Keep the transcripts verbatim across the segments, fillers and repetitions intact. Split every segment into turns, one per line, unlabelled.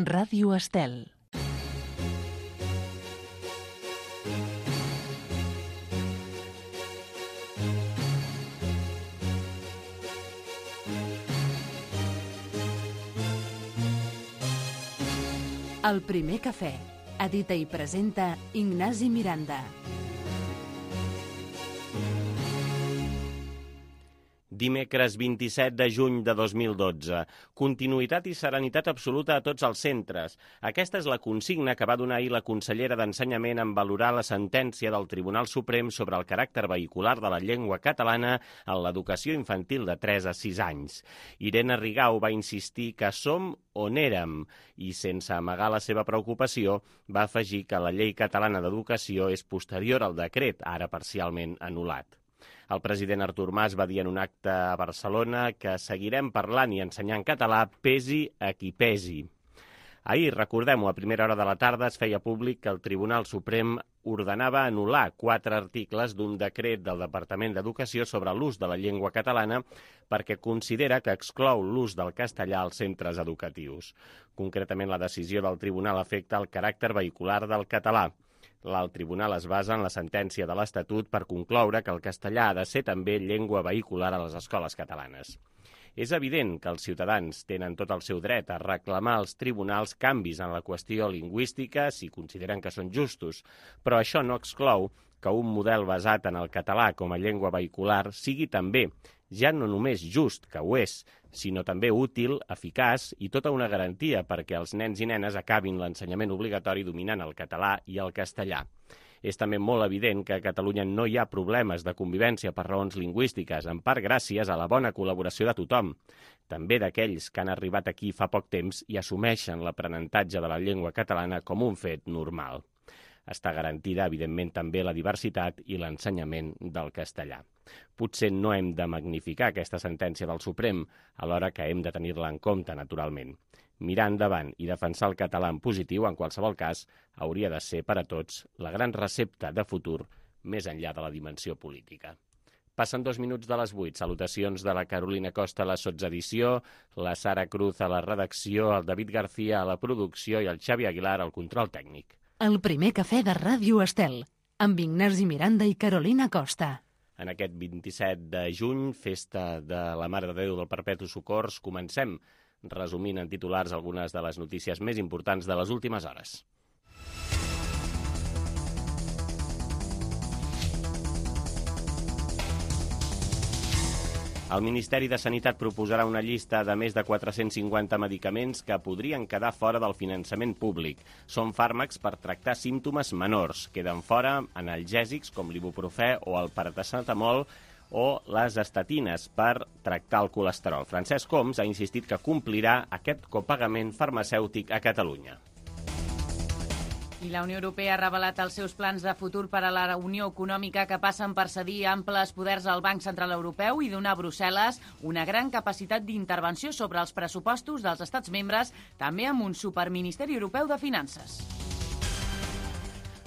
Ràdio Estel. El primer cafè. Edita i presenta Ignasi Miranda.
Dimecres vint-i-set de juny de dos mil dotze. Continuïtat i serenitat absoluta a tots els centres. Aquesta és la consigna que va donar ahir la consellera d'Ensenyament en valorar la sentència del Tribunal Suprem sobre el caràcter vehicular de la llengua catalana en l'educació infantil de tres a sis anys. Irene Rigau va insistir que som on érem i, sense amagar la seva preocupació, va afegir que la llei catalana d'educació és posterior al decret, ara parcialment anul·lat. El president Artur Mas va dir en un acte a Barcelona que seguirem parlant i ensenyant català pesi a qui pesi. Ahir, recordem-ho, a primera hora de la tarda es feia públic que el Tribunal Suprem ordenava anul·lar quatre articles d'un decret del Departament d'Educació sobre l'ús de la llengua catalana perquè considera que exclou l'ús del castellà als centres educatius. Concretament, la decisió del tribunal afecta el caràcter vehicular del català. L'alt tribunal es basa en la sentència de l'Estatut per concloure que el castellà ha de ser també llengua vehicular a les escoles catalanes. És evident que els ciutadans tenen tot el seu dret a reclamar als tribunals canvis en la qüestió lingüística si consideren que són justos, però això no exclou que un model basat en el català com a llengua vehicular sigui també, ja no només just, que ho és, sinó també útil, eficaç i tota una garantia perquè els nens i nenes acabin l'ensenyament obligatori dominant el català i el castellà. És també molt evident que a Catalunya no hi ha problemes de convivència per raons lingüístiques, en part gràcies a la bona col·laboració de tothom, també d'aquells que han arribat aquí fa poc temps i assumeixen l'aprenentatge de la llengua catalana com un fet normal. Està garantida, evidentment, també la diversitat i l'ensenyament del castellà. Potser no hem de magnificar aquesta sentència del Suprem, alhora que hem de tenir-la en compte, naturalment. Mirar endavant i defensar el català en positiu, en qualsevol cas, hauria de ser per a tots la gran recepta de futur més enllà de la dimensió política. Passen dos minuts de les vuit. Salutacions de la Carolina Costa a la sotsedició, la Sara Cruz a la redacció, el David García a la producció i el Xavi Aguilar al control tècnic.
El primer cafè de Ràdio Estel, amb Ignasi Miranda i Carolina Costa.
En aquest vint-i-set de juny, festa de la Mare de Déu del Perpetu Socors, comencem resumint en titulars algunes de les notícies més importants de les últimes hores. El Ministeri de Sanitat proposarà una llista de més de quatre-cents cinquanta medicaments que podrien quedar fora del finançament públic. Són fàrmacs per tractar símptomes menors. Queden fora analgèsics com l'ibuprofè o el paracetamol o les estatines per tractar el colesterol. Francesc Homs ha insistit que complirà aquest copagament farmacèutic a Catalunya.
I la Unió Europea ha revelat els seus plans de futur per a la Unió Econòmica que passen per cedir amples poders al Banc Central Europeu i donar a Brussel·les una gran capacitat d'intervenció sobre els pressupostos dels estats membres, també amb un superministeri europeu de finances.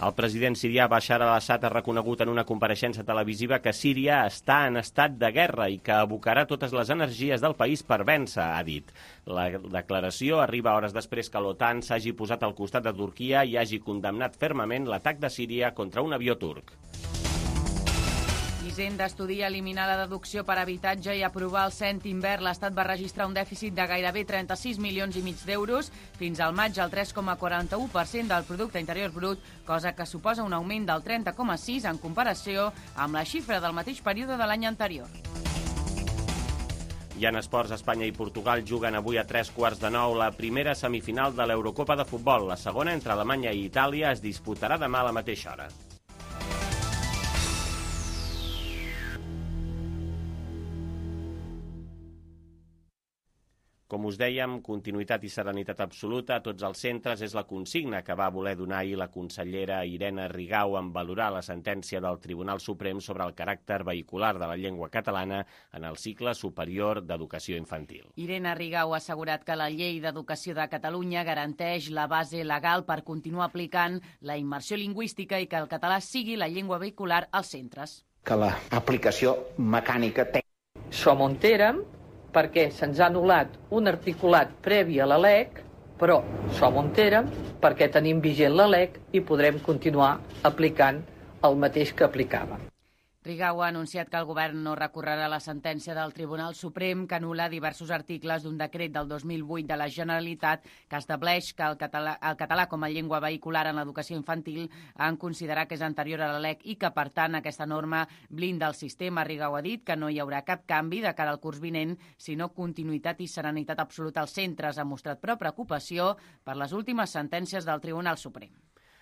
El president sirià Bashar al-Assad ha reconegut en una compareixença televisiva que Síria està en estat de guerra i que abocarà totes les energies del país per vèncer, ha dit. La declaració arriba hores després que l'OTAN s'hagi posat al costat de Turquia i hagi condemnat fermament l'atac de Síria contra un avió turc.
Hisenda estudia eliminar la deducció per habitatge i aprovar el cèntim verd. L'Estat va registrar un dèficit de gairebé trenta-sis milions i mig d'euros, fins al maig el tres coma quaranta-u per cent del producte interior brut, cosa que suposa un augment del trenta coma sis en comparació amb la xifra del mateix període de l'any anterior.
I en esports, Espanya i Portugal juguen avui a tres quarts de nou la primera semifinal de l'Eurocopa de futbol. La segona, entre Alemanya i Itàlia, es disputarà demà a la mateixa hora. Com us dèiem, continuïtat i serenitat absoluta a tots els centres és la consigna que va voler donar ahir la consellera Irene Rigau en valorar la sentència del Tribunal Suprem sobre el caràcter vehicular de la llengua catalana en el cicle superior d'educació infantil.
Irene Rigau ha assegurat que la Llei d'Educació de Catalunya garanteix la base legal per continuar aplicant la immersió lingüística i que el català sigui la llengua vehicular als centres.
Que l'aplicació mecànica tècnica.
Som on érem, perquè se'ns ha anul·lat un articulat previ a la L E C Però som on érem perquè tenim vigent la L E C i podrem continuar aplicant el mateix que aplicàvem.
Rigau ha anunciat que el govern no recorrerà la sentència del Tribunal Suprem que anul·la diversos articles d'un decret del dos mil vuit de la Generalitat que estableix que el català, el català com a llengua vehicular en l'educació infantil han considerat que és anterior a la L E C i que, per tant, aquesta norma blinda el sistema. Rigau ha dit que no hi haurà cap canvi de cara al curs vinent, sinó continuïtat i serenitat absoluta als centres. Ha mostrat, però, preocupació per les últimes sentències del Tribunal Suprem.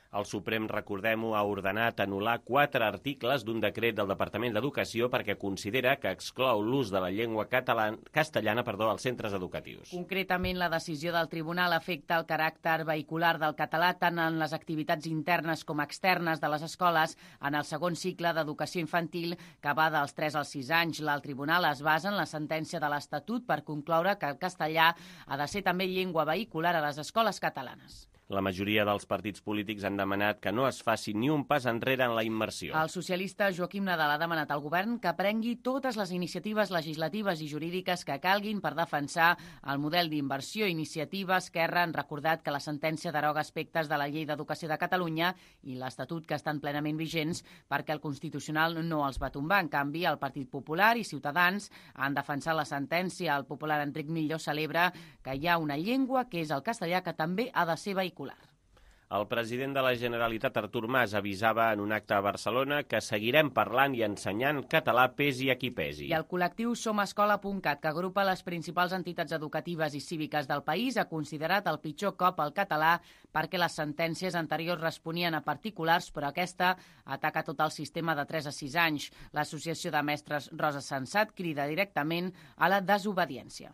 El Suprem, recordem-ho, ha ordenat anul·lar quatre articles d'un decret del Departament d'Educació perquè considera que exclou l'ús de la llengua catalana, castellana perdó, als centres educatius.
Concretament, la decisió del Tribunal afecta el caràcter vehicular del català tant en les activitats internes com externes de les escoles en el segon cicle d'educació infantil que va dels tres als sis anys. El Tribunal es basa en la sentència de l'Estatut per concloure que el castellà ha de ser també llengua vehicular a les escoles catalanes.
La majoria dels partits polítics han demanat que no es faci ni un pas enrere en la immersió.
El socialista Joaquim Nadal ha demanat al govern que prengui totes les iniciatives legislatives i jurídiques que calguin per defensar el model d'inversió. Iniciativa Esquerra han recordat que la sentència deroga aspectes de la Llei d'Educació de Catalunya i l'Estatut que estan plenament vigents perquè el Constitucional no els va tombar. En canvi, el Partit Popular i Ciutadans han defensat la sentència. El popular Enric Millo celebra que hi ha una llengua que és el castellà que també ha de ser vehicular.
El president de la Generalitat, Artur Mas, avisava en un acte a Barcelona que seguirem parlant i ensenyant català pesi a qui pesi.
I el col·lectiu Somescola punt cat, que agrupa les principals entitats educatives i cíviques del país, ha considerat el pitjor cop al català perquè les sentències anteriors responien a particulars, però aquesta ataca tot el sistema de tres a sis anys. L'Associació de Mestres Rosa Sensat crida directament a la desobediència.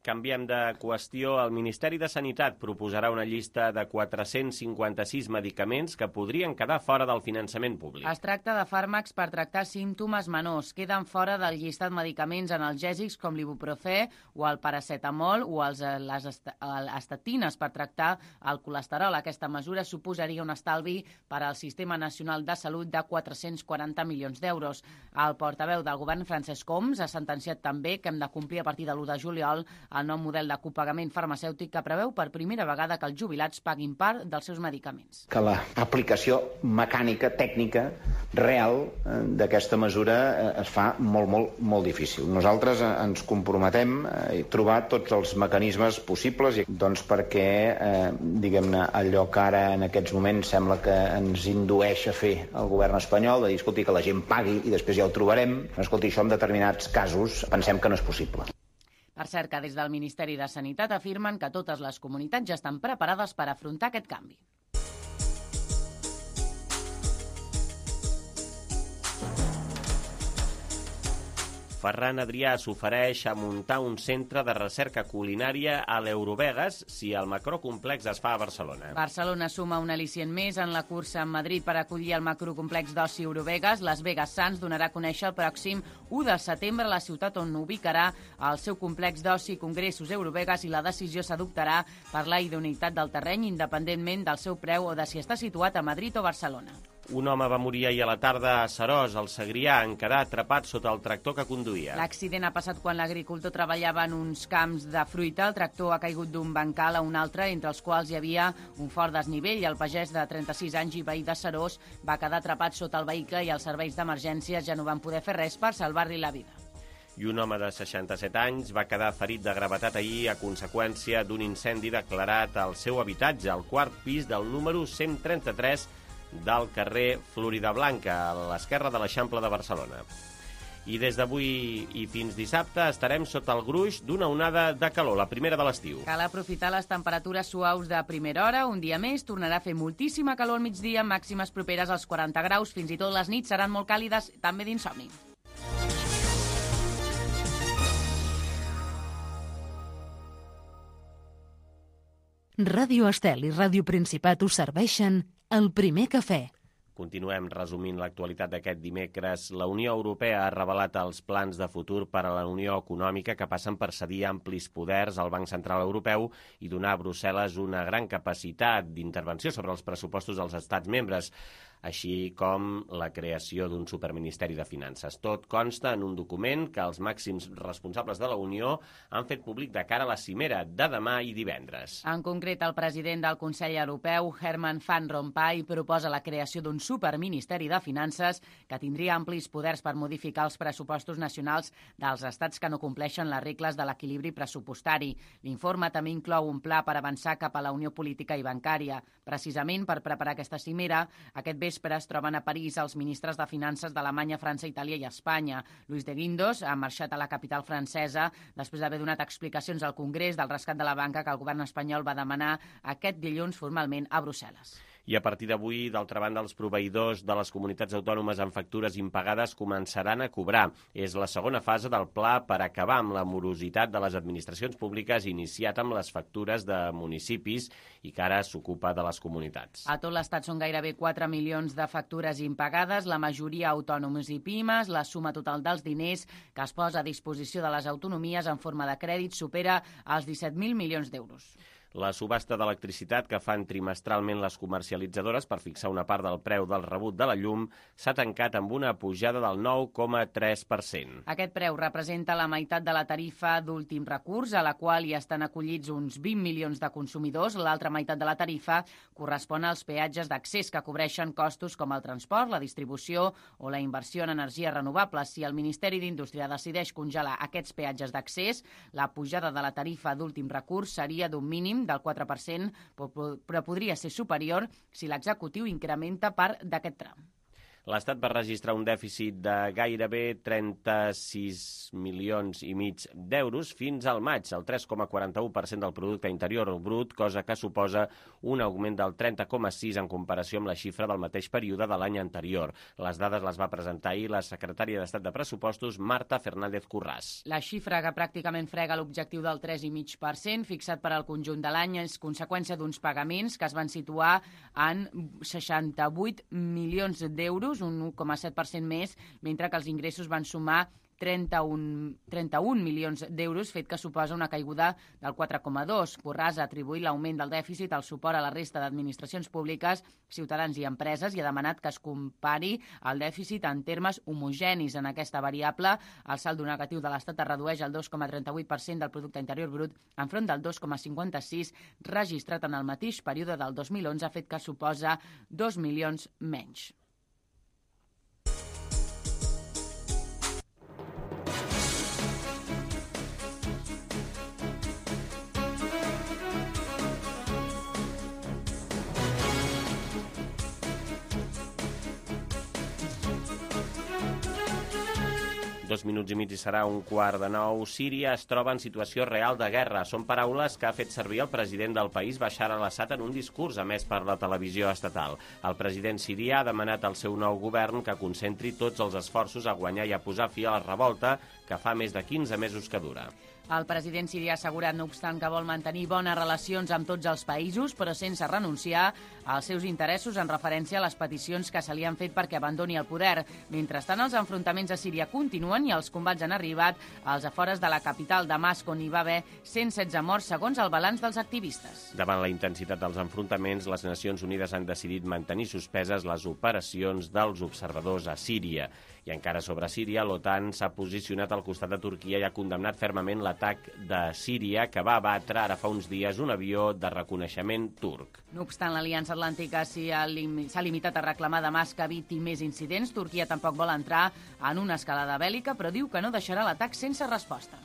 Canviem de qüestió. El Ministeri de Sanitat proposarà una llista de quatre-cents cinquanta-sis medicaments que podrien quedar fora del finançament públic.
Es tracta de fàrmacs per tractar símptomes menors. Queden fora del llistat medicaments analgèsics com l'ibuprofè o el paracetamol o els, les estatines per tractar el colesterol. Aquesta mesura suposaria un estalvi per al Sistema Nacional de Salut de quatre-cents quaranta milions d'euros. El portaveu del govern, Francesc Homs, ha sentenciat també que hem de complir a partir de l'u de juliol el nou model de copagament farmacèutic que preveu per primera vegada que els jubilats paguin part dels seus medicaments.
Que l'aplicació mecànica, tècnica, real d'aquesta mesura es fa molt, molt, molt difícil. Nosaltres ens comprometem a trobar tots els mecanismes possibles doncs perquè, eh, diguem-ne, allò que ara en aquests moments sembla que ens indueix a fer el govern espanyol, de dir, escolti, que la gent pagui i després ja ho trobarem. Escolti, això en determinats casos pensem que no és possible.
Per cert, que des del Ministeri de Sanitat afirmen que totes les comunitats ja estan preparades per afrontar aquest canvi.
Ferran Adrià s'ofereix a muntar un centre de recerca culinària a l'Eurovegas si el macrocomplex es fa a Barcelona.
Barcelona suma un al·licient més en la cursa en Madrid per acollir el macrocomplex d'oci Eurovegas. Las Vegas Sands donarà a conèixer el pròxim u de setembre la ciutat on ubicarà el seu complex d'oci Congressos Eurovegas i la decisió s'adoptarà per la idoneïtat del terreny independentment del seu preu o de si està situat a Madrid o Barcelona.
Un home va morir ahir a la tarda a Seròs, al Segrià, en quedar atrapat sota el tractor que conduïa.
L'accident ha passat quan l'agricultor treballava en uns camps de fruita. El tractor ha caigut d'un bancal a un altre, entre els quals hi havia un fort desnivell. El pagès de trenta-sis anys i veí de Seròs va quedar atrapat sota el vehicle i els serveis d'emergències ja no van poder fer res per salvar-li la vida.
I un home de seixanta-set anys va quedar ferit de gravetat ahir a conseqüència d'un incendi declarat al seu habitatge, al quart pis del número cent trenta-tres del carrer Floridablanca, a l'esquerra de l'Eixample de Barcelona. I des d'avui i fins dissabte estarem sota el gruix d'una onada de calor, la primera de l'estiu.
Cal aprofitar les temperatures suaus de primera hora. Un dia més tornarà a fer moltíssima calor al migdia, màximes properes als quaranta graus. Fins i tot les nits seran molt càlides, també d'insomni.
Ràdio Estel i Ràdio Principat us serveixen El Primer Cafè.
Continuem resumint l'actualitat d'aquest dimecres. La Unió Europea ha revelat els plans de futur per a la Unió Econòmica que passen per cedir amplis poders al Banc Central Europeu i donar a Brussel·les una gran capacitat d'intervenció sobre els pressupostos dels estats membres, així com la creació d'un superministeri de finances. Tot consta en un document que els màxims responsables de la Unió han fet públic de cara a la cimera de demà i divendres.
En concret, el president del Consell Europeu, Herman Van Rompuy, proposa la creació d'un superministeri de finances que tindria amplis poders per modificar els pressupostos nacionals dels estats que no compleixen les regles de l'equilibri pressupostari. L'informe també inclou un pla per avançar cap a la unió política i bancària. Precisament per preparar aquesta cimera, aquest vespre es troben a París els ministres de Finances d'Alemanya, França, Itàlia i Espanya. Luis de Guindos ha marxat a la capital francesa després d'haver donat explicacions al Congrés del rescat de la banca que el govern espanyol va demanar aquest dilluns formalment a Brussel·les.
I a partir d'avui, d'altra banda, els proveïdors de les comunitats autònomes amb factures impagades començaran a cobrar. És la segona fase del pla per acabar amb la morositat de les administracions públiques iniciat amb les factures de municipis i que ara s'ocupa de les comunitats.
A tot l'estat són gairebé quatre milions de factures impagades, la majoria autònoms i pimes. La suma total dels diners que es posa a disposició de les autonomies en forma de crèdit supera els disset mil milions d'euros.
La subhasta d'electricitat que fan trimestralment les comercialitzadores per fixar una part del preu del rebut de la llum s'ha tancat amb una pujada del nou coma tres per cent.
Aquest preu representa la meitat de la tarifa d'últim recurs, a la qual hi estan acollits uns vint milions de consumidors. L'altra meitat de la tarifa correspon als peatges d'accés que cobreixen costos com el transport, la distribució o la inversió en energies renovables. Si el Ministeri d'Indústria decideix congelar aquests peatges d'accés, la pujada de la tarifa d'últim recurs seria d'un mínim del quatre per cent, però podria ser superior si l'executiu incrementa part d'aquest tram.
L'Estat va registrar un dèficit de gairebé trenta-sis milions i mig d'euros fins al maig, el tres coma quaranta-u per cent del producte interior brut, cosa que suposa un augment del trenta coma sis en comparació amb la xifra del mateix període de l'any anterior. Les dades les va presentar ahir la secretària d'Estat de Pressupostos, Marta Fernández Curràs.
La xifra que pràcticament frega l'objectiu del tres coma cinc per cent fixat per al conjunt de l'any és conseqüència d'uns pagaments que es van situar en seixanta-vuit milions d'euros, un u coma set per cent més, mentre que els ingressos van sumar trenta-un milions d'euros, fet que suposa una caiguda del quatre coma dos. Curràs ha atribuït l'augment del dèficit al suport a la resta d'administracions públiques, ciutadans i empreses, i ha demanat que es compari el dèficit en termes homogenis. En aquesta variable, el saldo negatiu de l'Estat es redueix al dos coma trenta-vuit per cent del producte interior brut enfront del dos coma cinquanta-sis registrat en el mateix període del dos mil onze, fet que suposa dos milions menys.
Dos minuts i mig i serà un quart de nou. Síria es troba en situació real de guerra. Són paraules que ha fet servir el president del país, Bashar al-Assad, en un discurs emès per la televisió estatal. El president sirià ha demanat al seu nou govern que concentri tots els esforços a guanyar i a posar fi a la revolta que fa més de quinze mesos que dura.
El president sirià ha assegurat, no obstant, que vol mantenir bones relacions amb tots els països, però sense renunciar als seus interessos en referència a les peticions que se li han fet perquè abandoni el poder. Mentrestant, els enfrontaments a Síria continuen i els combats han arribat als afores de la capital, Damasc, on hi va haver cent setze morts, segons el balanç dels activistes.
Davant la intensitat dels enfrontaments, les Nacions Unides han decidit mantenir suspeses les operacions dels observadors a Síria. I encara sobre Síria, l'OTAN s'ha posicionat al costat de Turquia i ha condemnat fermament l'atac de Síria que va abatre ara fa uns dies un avió de reconeixement turc.
No obstant, l'Aliança Atlàntica s'ha limitat a reclamar Damasc que eviti més incidents. Turquia tampoc vol entrar en una escalada bèl·lica, però diu que no deixarà l'atac sense resposta.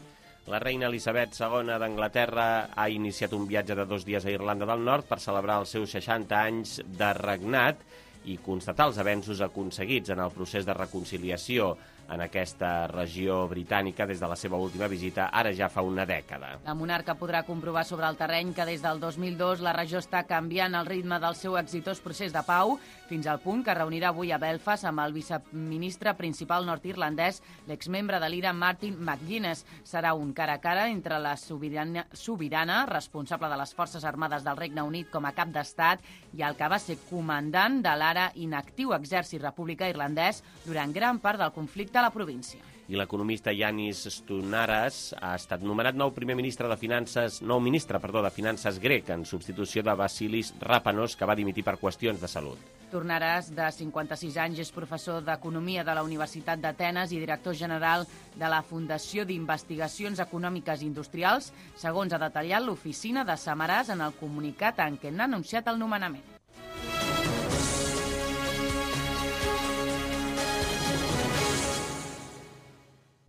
La reina Elisabet segona d'Anglaterra ha iniciat un viatge de dos dies a Irlanda del Nord per celebrar els seus seixanta anys de regnat i constatar els avenços aconseguits en el procés de reconciliació. en aquesta regió britànica des de la seva última visita, ara ja fa una dècada.
La monarca podrà comprovar sobre el terreny que des del dos mil dos la regió està canviant el ritme del seu exitós procés de pau, fins al punt que reunirà avui a Belfast amb el viceministre principal nord-irlandès, l'exmembre de l'I R A Martin McGuinness. Serà un cara a cara entre la sobirana, sobirana responsable de les Forces Armades del Regne Unit com a cap d'estat i el que va ser comandant de l'ara inactiu exèrcit republicà irlandès durant gran part del conflicte a la província.
I l'economista Yanis Stounaras ha estat nomenat nou primer ministre de Finances, nou ministre, perdó, de Finances grec, en substitució de Vasilis Rapanos, que va dimitir per qüestions de salut.
Tornaràs, de cinquanta-sis anys, és professor d'Economia de la Universitat d'Atenes i director general de la Fundació d'Investigacions Econòmiques i Industrials, segons ha detallat l'oficina de Samaràs en el comunicat en què n'ha anunciat el nomenament.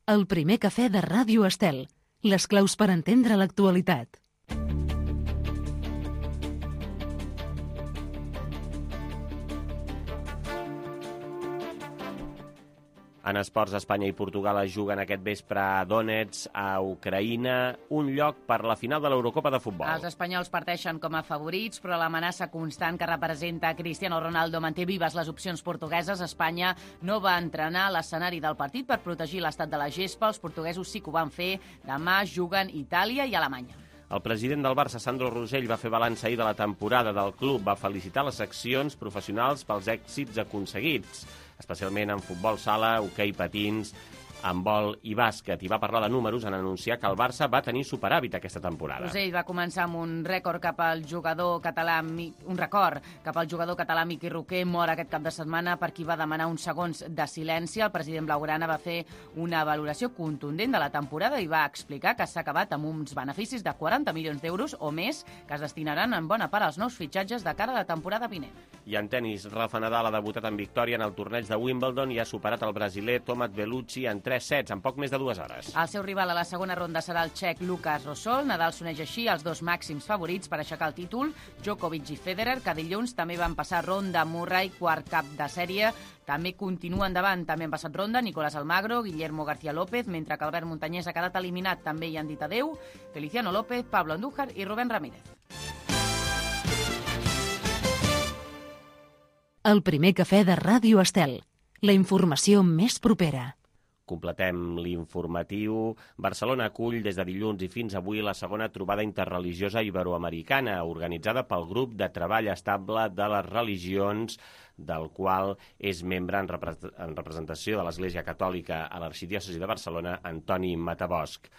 El primer cafè de Ràdio Estel. Les claus per entendre l'actualitat.
En esports, Espanya i Portugal es juguen aquest vespre a Donetsk, a Ucraïna, un lloc per la final de l'Eurocopa de futbol.
Els espanyols parteixen com a favorits, però l'amenaça constant que representa Cristiano Ronaldo manté vives les opcions portugueses. Espanya no va entrenar l'escenari del partit per protegir l'estat de la gespa. Els portuguesos sí que ho van fer. Demà juguen Itàlia i Alemanya.
El president del Barça, Sandro Rosell, va fer balanç ahir de la temporada del club. Va felicitar les seccions professionals pels èxits aconseguits, especialment en futbol sala, hoquei patins, handbol i bàsquet, i va parlar de números en anunciar que el Barça va tenir superàvit aquesta temporada.
Rosell va començar amb un rècord cap al jugador català, un record cap al jugador català Miqui Roquer, mort aquest cap de setmana per qui va demanar uns segons de silenci. El president blaugrana va fer una valoració contundent de la temporada i va explicar que s'ha acabat amb uns beneficis de quaranta milions d'euros o més que es destinaran en bona part als nous fitxatges de cara a la temporada vinent.
I en tenis, Rafa Nadal ha debutat en victòria en el torneig de Wimbledon i ha superat el brasiler Tomat Bellucci en tres sets, en poc més de dues hores.
El seu rival a la segona ronda serà el txec Lukas Rosol. Nadal s'uneix així als dos màxims favorits per aixecar el títol, Djokovic i Federer, que dilluns també van passar ronda. Murray, quart cap de sèrie, també continua endavant. També han passat ronda Nicolás Almagro, Guillermo García López, mentre que Albert Muntanyès ha quedat eliminat. També hi han dit adeu Feliciano López, Pablo Andújar i Rubén Ramírez.
El primer cafè de Ràdio Estel. La informació més propera.
Completem l'informatiu. Barcelona acull des de dilluns i fins avui la segona trobada interreligiosa iberoamericana, organitzada pel Grup de Treball Estable de les Religions, del qual és membre en, repre en representació de l'Església Catòlica a l'Arxidiòcesi de Barcelona, Antoni Matabosch.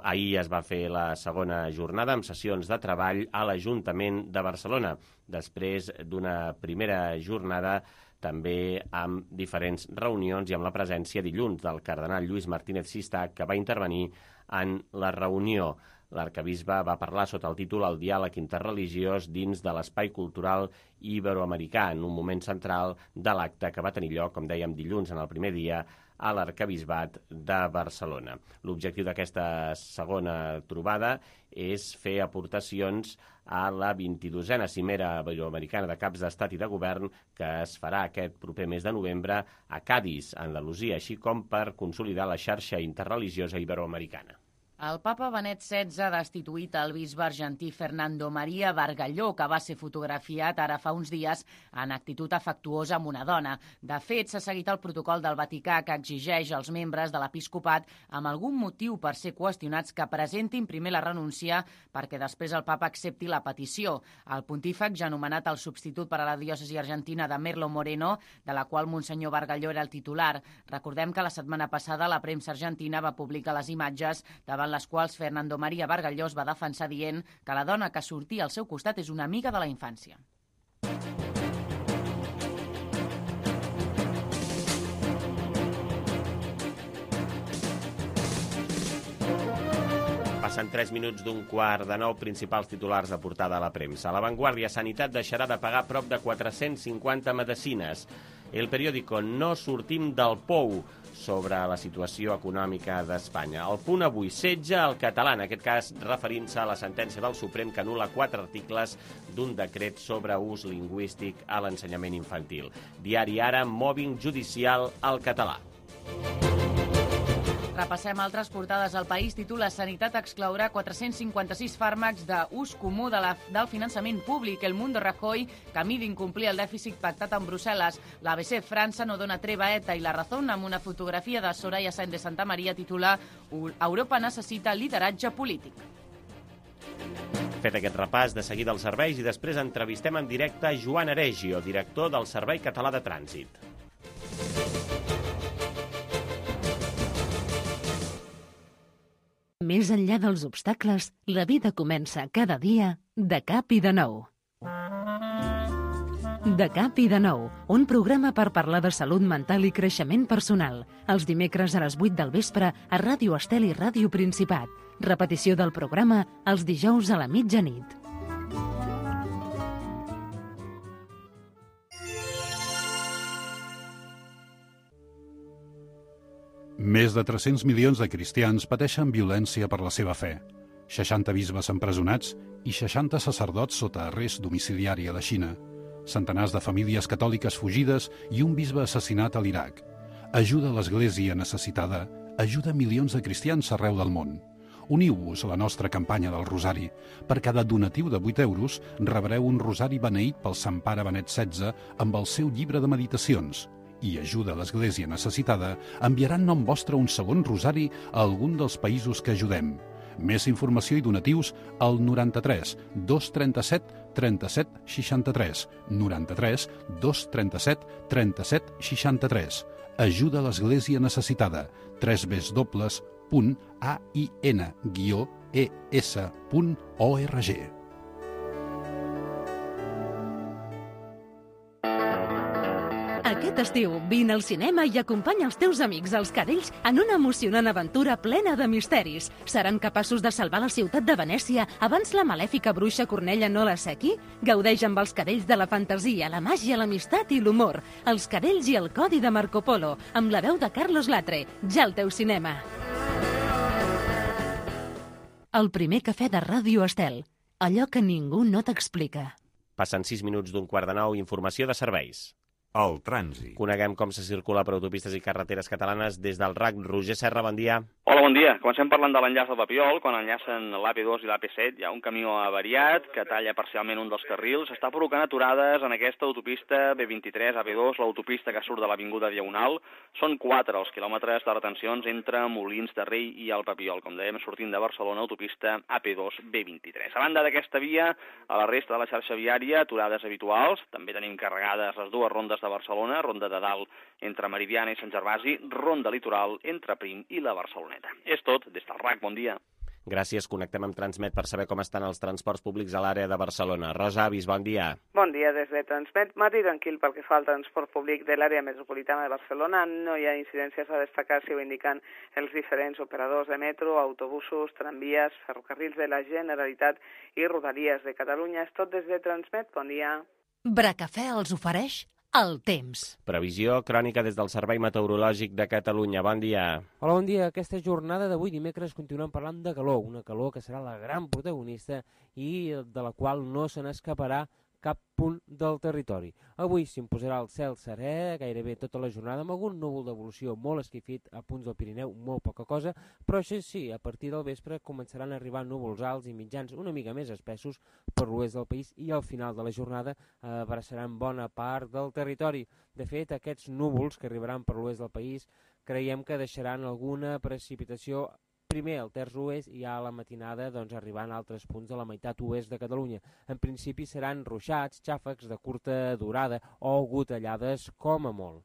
Ahir es va fer la segona jornada amb sessions de treball a l'Ajuntament de Barcelona, després d'una primera jornada també amb diferents reunions i amb la presència dilluns del cardenal Lluís Martínez Sistac, que va intervenir en la reunió. L'arquebisbe va parlar sota el títol El diàleg interreligiós dins de l'espai cultural iberoamericà, en un moment central de l'acte que va tenir lloc, com dèiem, dilluns en el primer dia a l'Arquebisbat de Barcelona. L'objectiu d'aquesta segona trobada és fer aportacions a la vint-i-dosena cimera iberoamericana de caps d'estat i de govern que es farà aquest proper mes de novembre a Cadis, Andalusia, així com per consolidar la xarxa interreligiosa iberoamericana.
El papa Benet setze ha destituït el bisbe argentí Fernando María Bargalló, que va ser fotografiat ara fa uns dies en actitud afectuosa amb una dona. De fet, s'ha seguit el protocol del Vaticà que exigeix als membres de l'episcopat amb algun motiu per ser qüestionats que presentin primer la renúncia perquè després el papa accepti la petició. El pontífex ja ha nomenat el substitut per a la diòcesi argentina de Merlo Moreno, de la qual Monsenyor Bargalló era el titular. Recordem que la setmana passada la premsa argentina va publicar les imatges davant les quals Fernando María Bargalló es va defensar dient que la dona que sortia al seu costat és una amiga de la infància.
Passen tres minuts d'un quart de nou, principals titulars de portada a la premsa. La Vanguardia, Sanitat deixarà de pagar prop de quatre-cents cinquanta medicines. El periòdico, no sortim del pou, sobre la situació econòmica d'Espanya. El Punt avui, setge al català, en aquest cas referint-se a la sentència del Suprem que anul·la quatre articles d'un decret sobre ús lingüístic a l'ensenyament infantil. Diari Ara, mòbbing judicial al català.
Repassem altres portades. El País titula Sanitat exclourà quatre-cents cinquanta-sis fàrmacs d'ús comú de la, del finançament públic. El Mundo Rajoy camí d'incomplir el dèficit pactat amb Brussel·les. L'A B C França no dona treva a ETA i La Razón, amb una fotografia de Soraya Sáenz de Santa Maria, titula Europa necessita lideratge polític.
Fet aquest repàs, de seguida els serveis i després entrevistem en directe Joan Aregio, director del Servei Català de Trànsit.
Més enllà dels obstacles, la vida comença cada dia de cap i de nou. De cap i de nou, un programa per parlar de salut mental i creixement personal. Els dimecres a les vuit del vespre a Ràdio Estel i Ràdio Principat. Repetició del programa els dijous a la mitjanit.
Més de tres-cents milions de cristians pateixen violència per la seva fe. seixanta bisbes empresonats i seixanta sacerdots sota arrest domiciliari a la Xina. Centenars de famílies catòliques fugides i un bisbe assassinat a l'Iraq. Ajuda a l'Església necessitada, ajuda milions de cristians arreu del món. Uniu-vos a la nostra campanya del Rosari. Per cada donatiu de vuit euros rebreu un rosari beneït pel Sant Pare Benet setze amb el seu llibre de meditacions. I ajuda a l'Església necessitada, enviaran nom vostre un segon rosari a algun dels països que ajudem. Més informació i donatius al noranta-tres dos trenta-set trenta-set seixanta-tres, noranta-tres dos trenta-set trenta-set seixanta-tres. Ajuda a l'Església necessitada, tres w w w punt a i n guió e s punt org.
Aquest estiu, vine al cinema i acompanya els teus amics, els cadells, en una emocionant aventura plena de misteris. Seran capaços de salvar la ciutat de Venècia abans la malèfica bruixa Cornella no l'assequi? Gaudeix amb els cadells de la fantasia, la màgia, l'amistat i l'humor. Els cadells i el codi de Marco Polo, amb la veu de Carlos Latre. Ja al teu cinema. El primer cafè de Ràdio Estel. Allò que ningú no t'explica.
Passen sis minuts d'un quart de nou, informació de serveis.
El trànsit.
Coneguem com se circula per autopistes i carreteres catalanes des del R A C. Roger Serra, bon dia.
Hola, bon dia. Comencem parlant de l'enllaç del Papiol. Quan enllacen l'A P dos i l'A P set hi ha un camió avariat que talla parcialment un dels carrils. Està provocant aturades en aquesta autopista B vint-i-tres, A P dos, l'autopista que surt de l'Avinguda Diagonal. Són quatre els quilòmetres de retencions entre Molins de Rei i el Papiol. Com dèiem, sortint de Barcelona, autopista A P dos B vint-i-tres. A banda d'aquesta via, a la resta de la xarxa viària, aturades habituals. També tenim carregades les dues rondes de Barcelona, ronda de dalt entre Meridiana i Sant Gervasi, ronda litoral entre Prim i la Barceloneta. És tot, des del R A C, bon dia.
Gràcies, connectem amb Transmet per saber com estan els transports públics a l'àrea de Barcelona. Rosa Avis, bon dia.
Bon dia des de Transmet. Matí tranquil pel que fa al transport públic de l'àrea metropolitana de Barcelona. No hi ha incidències a destacar, si ho indiquen els diferents operadors de metro, autobusos, tramvies, ferrocarrils de la Generalitat i Rodalies de Catalunya. És tot des de Transmet. Bon dia.
Bracafè els ofereix el temps.
Previsió crònica des del Servei Meteorològic de Catalunya. Bon dia.
Hola, bon dia. Aquesta jornada d'avui dimecres continuem parlant de calor, una calor que serà la gran protagonista i de la qual no se n'escaparà cap punt del territori. Avui s'imposarà el cel serè gairebé tota la jornada amb algun núvol d'evolució molt esquifit a punts del Pirineu, molt poca cosa, però això sí, a partir del vespre començaran a arribar núvols alts i mitjans una mica més espessos per l'oest del país i al final de la jornada abraçaran bona part del territori. De fet, aquests núvols que arribaran per l'oest del país creiem que deixaran alguna precipitació primer al terç oest i a la matinada doncs, arribant a altres punts de la meitat oest de Catalunya. En principi seran ruixats, xàfecs de curta durada o gotellades com a molt.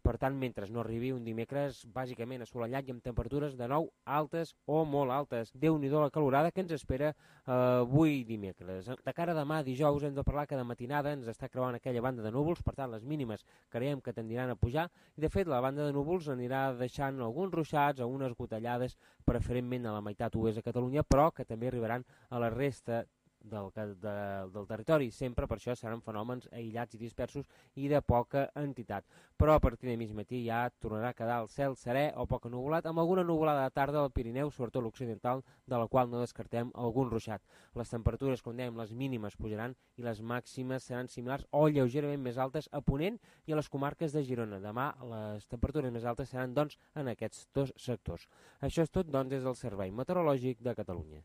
Per tant, mentre no arribi un dimecres bàsicament assolellat i amb temperatures de nou altes o molt altes. Déu-n'hi-do la calorada que ens espera eh, avui dimecres. De cara a demà, dijous, hem de parlar que de matinada ens està creuant aquella banda de núvols, per tant, les mínimes creiem que tendiran a pujar, i de fet la banda de núvols anirà deixant alguns ruixats o unes gotellades, preferentment a la meitat oest de Catalunya, però que també arribaran a la resta del, de, del territori. Sempre per això seran fenòmens aïllats i dispersos i de poca entitat. Però a partir de mig matí ja tornarà a quedar el cel serè o poc ennuvolat, amb alguna nuvolada de tarda al Pirineu, sobretot l'occidental, de la qual no descartem algun ruixat. Les temperatures, com dèiem, les mínimes pujaran i les màximes seran similars o lleugerament més altes a Ponent i a les comarques de Girona. Demà les temperatures més altes seran, doncs, en aquests dos sectors. Això és tot, doncs, des del Servei Meteorològic de Catalunya.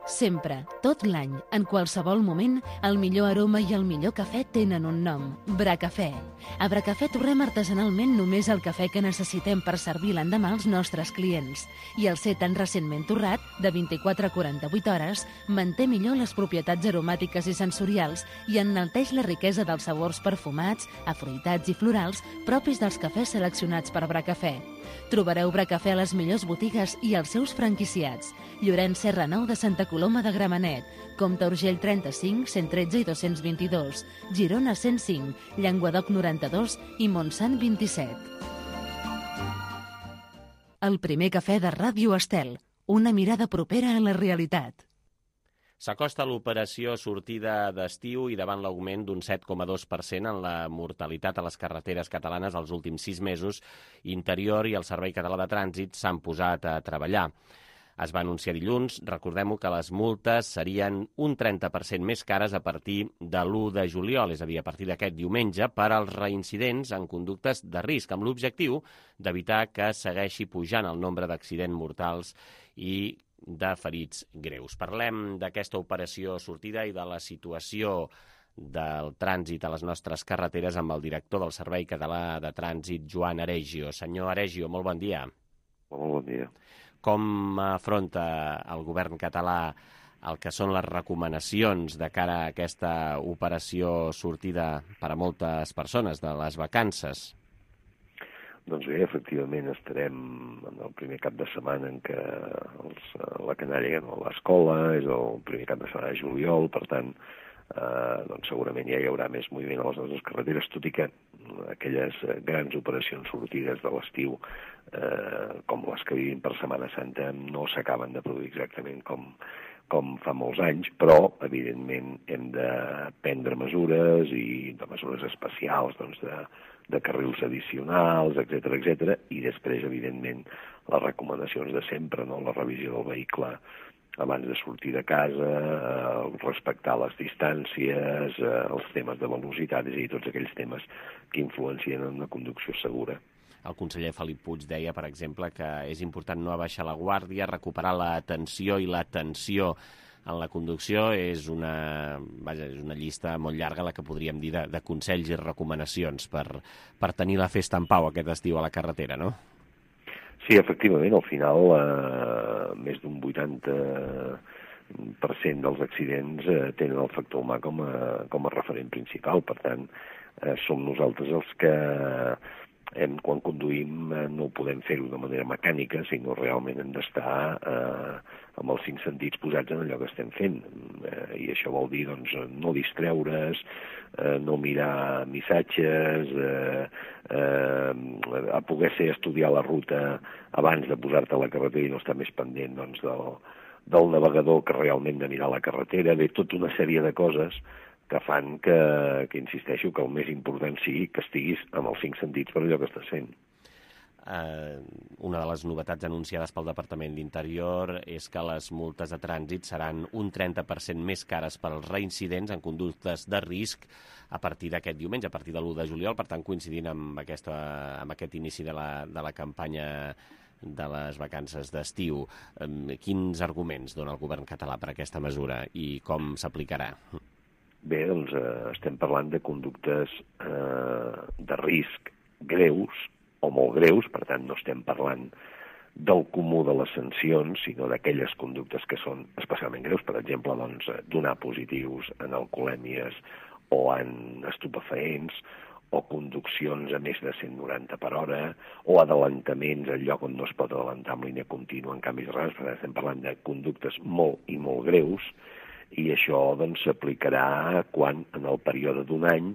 Sempre, tot l'any, en qualsevol moment, el millor aroma i el millor cafè tenen un nom, Bracafè. A Bracafè torrem artesanalment només el cafè que necessitem per servir l'endemà als nostres clients. I el ser tan recentment torrat, de vint-i-quatre a quaranta-vuit hores, manté millor les propietats aromàtiques i sensorials i enalteix la riquesa dels sabors perfumats, afruitats i florals propis dels cafès seleccionats per Bracafè. Trobareu Bracafè a les millors botigues i als seus franquiciats. Llorenç Serra nou de Santa Coloma de Gramenet, Comte Urgell trenta-cinc, cent tretze i dos-cents vint-i-dos, Girona cent cinc, Llenguadoc noranta-dos i Montsant vint-i-set. El primer cafè de Ràdio Estel, una mirada propera a la realitat.
S'acosta l'operació sortida d'estiu i davant l'augment d'un set coma dos per cent en la mortalitat a les carreteres catalanes els últims sis mesos, Interior i el Servei Català de Trànsit s'han posat a treballar. Es va anunciar dilluns, recordem-ho, que les multes serien un trenta per cent més cares a partir de l'u de juliol, és a dir, a partir d'aquest diumenge, per als reincidents en conductes de risc, amb l'objectiu d'evitar que segueixi pujant el nombre d'accidents mortals i de ferits greus. Parlem d'aquesta operació sortida i de la situació del trànsit a les nostres carreteres amb el director del Servei Català de Trànsit, Joan Aregio. Senyor Aregio, molt bon dia.
Molt bon dia.
Com afronta el govern català el que són les recomanacions de cara a aquesta operació sortida per a moltes persones de les vacances?
Doncs bé, efectivament, estarem en el primer cap de setmana en què els, la canalla no, a l'escola, és el primer cap de setmana de juliol, per tant, eh, doncs segurament ja hi haurà més moviment a les nostres carreteres, tot i que aquelles grans operacions sortides de l'estiu, eh, com les que vivim per Setmana Santa, no s'acaben de produir exactament com, com fa molts anys, però, evidentment, hem de prendre mesures i de mesures especials, doncs, de de carrils addicionals, etcètera, etcètera, i després, evidentment, les recomanacions de sempre, no? La revisió del vehicle abans de sortir de casa, eh, respectar les distàncies, eh, els temes de velocitat, és a dir, tots aquells temes que influencien en una conducció segura.
El conseller Felip Puig deia, per exemple, que és important no abaixar la guàrdia, recuperar l'atenció i l'atenció en la conducció. És una, vaja, és una llista molt llarga la que podríem dir de, de consells i recomanacions per, per tenir la festa en pau aquest estiu a la carretera, no?
Sí, efectivament, al final eh, més d'un vuitanta per cent dels accidents eh, tenen el factor humà com a, com a referent principal. Per tant, eh, som nosaltres els que hem, quan conduïm eh, no podem fer-ho de manera mecànica, sinó realment hem d'estar eh, amb els cinc sentits posats en allò que estem fent. Eh, I això vol dir, doncs, no distreure's, eh, no mirar missatges, eh, eh, a poder ser estudiar la ruta abans de posar-te a la carretera i no estar més pendent, doncs, del, del navegador que realment de mirar la carretera. Bé, tota una sèrie de coses que fan que, que insisteixo, que el més important sigui que estiguis amb els cinc sentits per allò que estàs fent.
Uh, una de les novetats anunciades pel Departament d'Interior és que les multes de trànsit seran un trenta per cent més cares per als reincidents en conductes de risc a partir d'aquest diumenge, a partir de l'u de juliol, per tant coincidint amb, aquesta, amb aquest inici de la, de la campanya de les vacances d'estiu. Um, quins arguments dona el govern català per aquesta mesura i com s'aplicarà?
Bé, doncs eh, estem parlant de conductes eh, de risc greus o molt greus, per tant no estem parlant del comú de les sancions, sinó d'aquelles conductes que són especialment greus, per exemple, doncs, donar positius en alcoholèmies o en estupefaents, o conduccions a més de cent noranta per hora, o adelantaments al lloc on no es pot adelantar amb línia contínua en canvis rars. Per tant, estem parlant de conductes molt i molt greus, i això doncs s'aplicarà quan en el període d'un any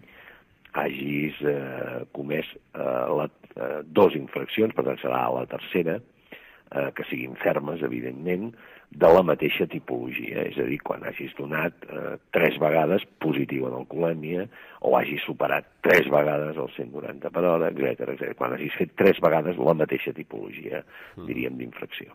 hagis eh, comès eh, la, eh, dos infraccions, per tant serà la tercera, eh, que siguin fermes, evidentment, de la mateixa tipologia, és a dir, quan hagis donat eh, tres vegades positiu en alcoholèmia o hagis superat tres vegades el cent noranta per hora, etcètera, etcètera. Quan hagis fet tres vegades la mateixa tipologia, diríem, d'infracció.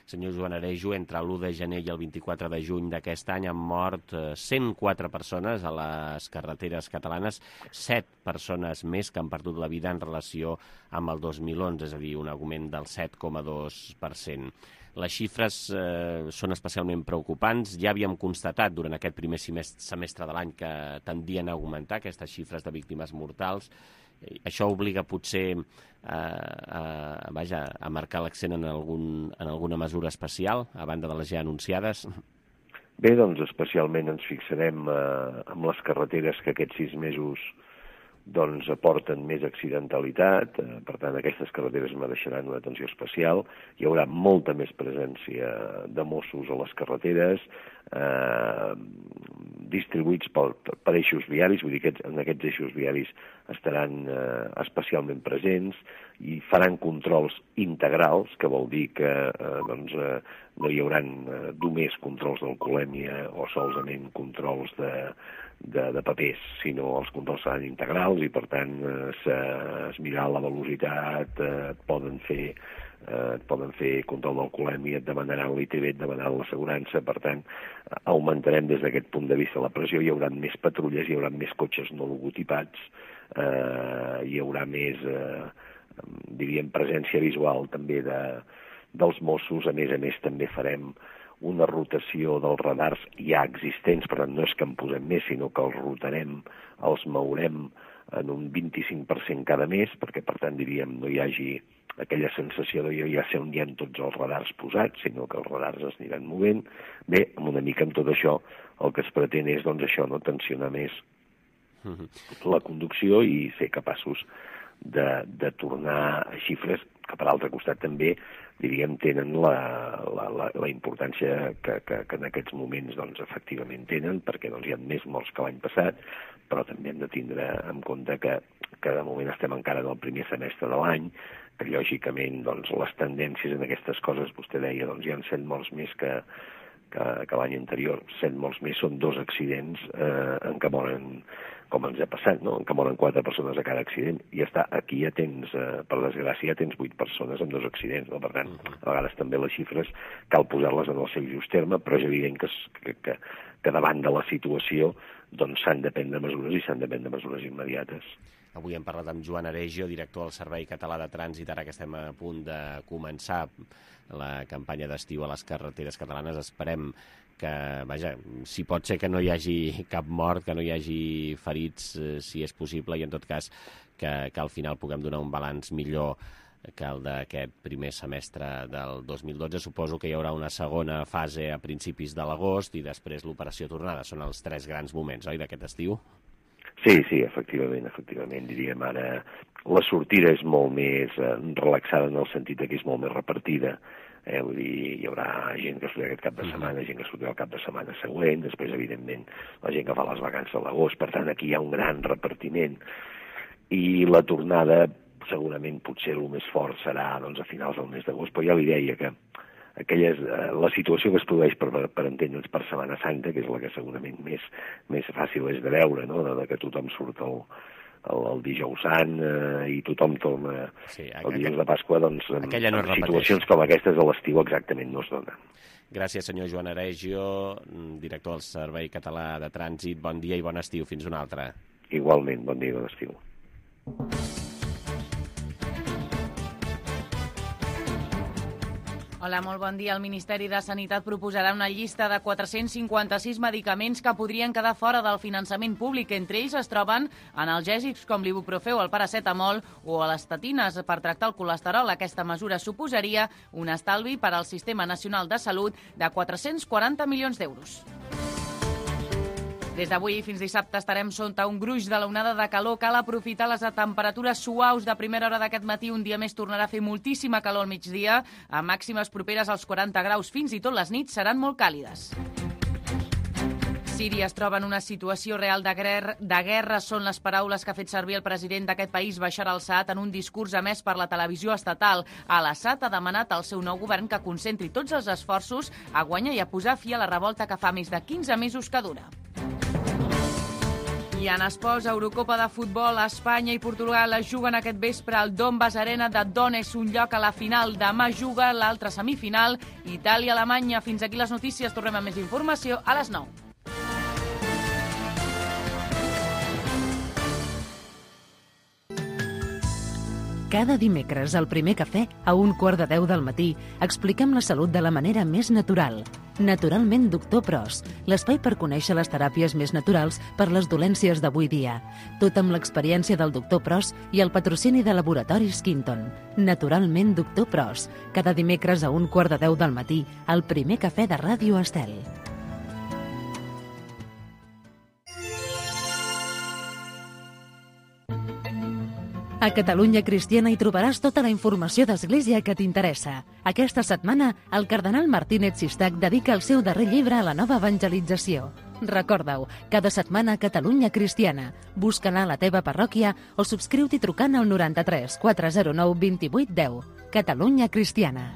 Senyor Joan Arejo, entre l'u de gener i el vint-i-quatre de juny d'aquest any han mort cent quatre persones a les carreteres catalanes, set persones més que han perdut la vida en relació amb el dos mil onze, és a dir, un augment del set coma dos per cent. Les xifres eh, són especialment preocupants. Ja havíem constatat durant aquest primer semestre de l'any que tendien a augmentar aquestes xifres de víctimes mortals. Això obliga potser a, a, vaja, a marcar l'accent en, algun, en alguna mesura especial, a banda de les ja anunciades?
Bé, doncs especialment ens fixarem eh, en les carreteres que aquests sis mesos doncs aporten més accidentalitat, eh, per tant aquestes carreteres mereixeran una atenció especial, hi haurà molta més presència de Mossos a les carreteres, eh, distribuïts per, per eixos viaris, vull dir que en aquests eixos viaris estaran eh, especialment presents i faran controls integrals, que vol dir que eh, doncs, eh, no hi haurà eh, només controls d'alcoholèmia o solament controls de, de, de papers, sinó els controls seran integrals i per tant eh, es mirarà la velocitat, eh, et poden fer eh, et poden fer control d'alcoholèmia, et demanaran l'I T B, et demanaran l'assegurança, per tant augmentarem des d'aquest punt de vista la pressió, hi haurà més patrulles, hi haurà més cotxes no logotipats, eh, hi haurà més eh, diríem presència visual també de, dels Mossos, a més a més també farem una rotació dels radars ja existents, per tant no és que en posem més, sinó que els rotarem, els mourem en un vint-i-cinc per cent cada mes, perquè per tant diríem no hi hagi aquella sensació de jo ja sé on hi ha tots els radars posats, sinó que els radars es aniran movent. Bé, amb una mica amb tot això el que es pretén és doncs això, no tensionar més la conducció i ser capaços de, de tornar a xifres que per altre costat també diríem tenen la, la, la, la importància que, que, que en aquests moments doncs, efectivament tenen, perquè doncs, hi ha més morts que l'any passat, però també hem de tindre en compte que, que de moment estem encara en el primer semestre de l'any, que lògicament doncs, les tendències en aquestes coses, vostè deia, doncs, hi ha set morts més que, que, que l'any anterior, set morts més són dos accidents eh, en què moren, com ens ha passat, no? En què moren quatre persones a cada accident, i ja està, aquí ja tens, eh, per desgràcia, ja tens vuit persones amb dos accidents, no? Per tant, a vegades també les xifres cal posar-les en el seu just terme, però és evident que, que, que, que davant de la situació doncs s'han de prendre mesures i s'han de prendre mesures immediates.
Avui hem parlat amb Joan Arejo, director del Servei Català de Trànsit, ara que estem a punt de començar la campanya d'estiu a les carreteres catalanes. Esperem que, vaja, si pot ser que no hi hagi cap mort, que no hi hagi ferits, eh, si és possible, i en tot cas que, que al final puguem donar un balanç millor que el d'aquest primer semestre del dos mil dotze. Suposo que hi haurà una segona fase a principis de l'agost i després l'operació tornada. Són els tres grans moments, oi, d'aquest estiu?
Sí, sí, efectivament, efectivament. Diríem ara, la sortida és molt més eh, relaxada en el sentit que és molt més repartida. Eh, vull dir, hi haurà gent que sortirà aquest cap de setmana, gent que sortirà el cap de setmana següent, després, evidentment, la gent que fa les vacances a l'agost. Per tant, aquí hi ha un gran repartiment. I la tornada, segurament, potser el més fort serà doncs, a finals del mes d'agost, però ja li deia que aquelles, eh, la situació que es produeix per, per entendre'ns per Setmana Santa, que és la que segurament més, més fàcil és de veure, no? de, de que tothom surt el, el, el dijous sant eh, i tothom torna sí, el dijous de Pasqua, doncs en, no en situacions com aquestes a l'estiu exactament no es donen.
Gràcies, senyor Joan Arejo, director del Servei Català de Trànsit. Bon dia i bon estiu. Fins una altra.
Igualment, bon dia i bon estiu.
Hola, molt bon dia. El Ministeri de Sanitat proposarà una llista de quatre-cents cinquanta-sis medicaments que podrien quedar fora del finançament públic. Entre ells es troben analgèsics com l'ibuprofeu, el paracetamol o les estatines per tractar el colesterol. Aquesta mesura suposaria un estalvi per al Sistema Nacional de Salut de quatre-cents quaranta milions d'euros. Des d'avui fins dissabte estarem sota un gruix de l'onada de calor. Cal aprofitar les temperatures suaus de primera hora d'aquest matí. Un dia més tornarà a fer moltíssima calor al migdia, a màximes properes als quaranta graus. Fins i tot les nits seran molt càlides. Síria es troba en una situació real de, guerra, de guerra són les paraules que ha fet servir el president d'aquest país, Bashar al-Assad, en un discurs emès per la televisió estatal. Al-Assad ha demanat al seu nou govern que concentri tots els esforços a guanyar i a posar fi a la revolta que fa més de quinze mesos que dura. I en esports, Eurocopa de futbol, Espanya i Portugal es juguen aquest vespre al Donbass Arena de Donetsk, un lloc a la final. Demà juga l'altra semifinal, Itàlia-Alemanya. Fins aquí les notícies, tornem amb més informació a les nou.
Cada dimecres, al Primer Cafè, a un quart de deu del matí, expliquem la salut de la manera més natural. Naturalment Doctor Pros, l'espai per conèixer les teràpies més naturals per les dolències d'avui dia. Tot amb l'experiència del Doctor Pros i el patrocini de Laboratoris Quinton. Naturalment Doctor Pros, cada dimecres a un quart de deu del matí, al Primer Cafè de Ràdio Estel. A Catalunya Cristiana hi trobaràs tota la informació d'Església que t'interessa. Aquesta setmana, el cardenal Martínez Sistac dedica el seu darrer llibre a la nova evangelització. Recorda-ho, cada setmana a Catalunya Cristiana. Busca-la a la teva parròquia o subscriu-t'hi trucant al noranta-tres quatre zero nou vint vuit deu. Catalunya Cristiana.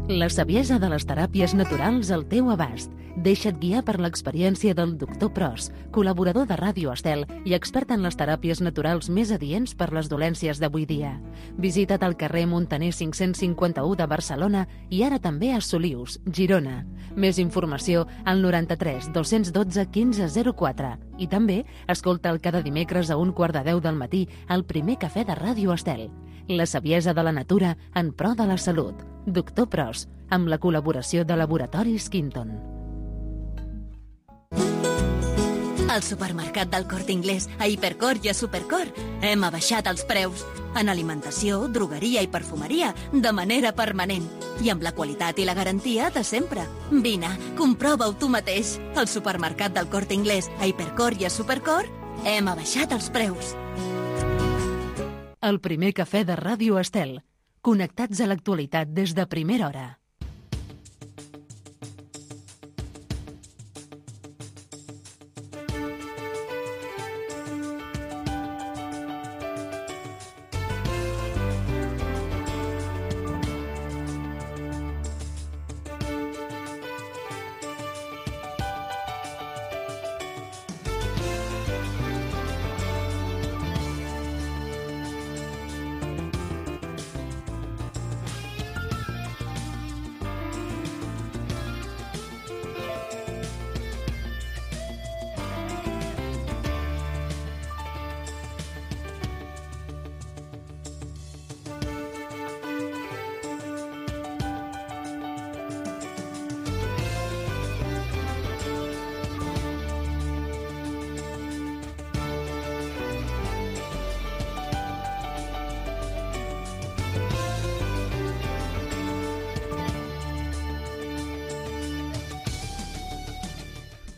La saviesa de les teràpies naturals al teu abast. Deixa't guiar per l'experiència del Doctor Pros, col·laborador de Ràdio Estel i expert en les teràpies naturals més adients per les dolències d'avui dia. Visita't al carrer Montaner cinc-cents cinquanta-u de Barcelona i ara també a Solius, Girona. Més informació al noranta-tres dos-cents dotze quinze zero quatre. I també escolta'l cada dimecres a un quart de deu del matí al Primer Cafè de Ràdio Estel. La saviesa de la natura en pro de la salut. Doctor Pros, amb la col·laboració de Laboratoris Quinton.
Al supermercat del Corte Inglés, a Hipercor i a Supercor, hem abaixat els preus. En alimentació, drogueria i perfumeria, de manera permanent. I amb la qualitat i la garantia de sempre. Vine, comprova-ho tu mateix. Al supermercat del Corte Inglés, a Hipercor i a Supercor, hem abaixat els preus.
El Primer Cafè de Ràdio Estel. Connectats a l'actualitat des de primera hora.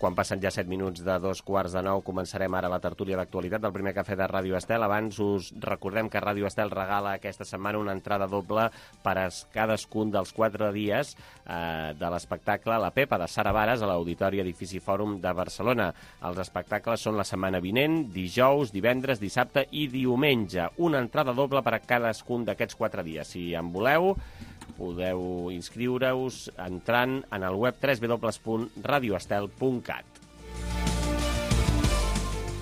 Quan passen ja set minuts de dos quarts de nou, començarem ara la tertúlia d'actualitat del Primer Cafè de Ràdio Estel. Abans us recordem que Ràdio Estel regala aquesta setmana una entrada doble per a cadascun dels quatre dies eh, de l'espectacle La Pepa de Sara Vares a l'Auditori Edifici Fòrum de Barcelona. Els espectacles són la setmana vinent, dijous, divendres, dissabte i diumenge. Una entrada doble per a cadascun d'aquests quatre dies. Si en voleu, podeu inscriure-us entrant en el web w w w punt radio estel punt cat.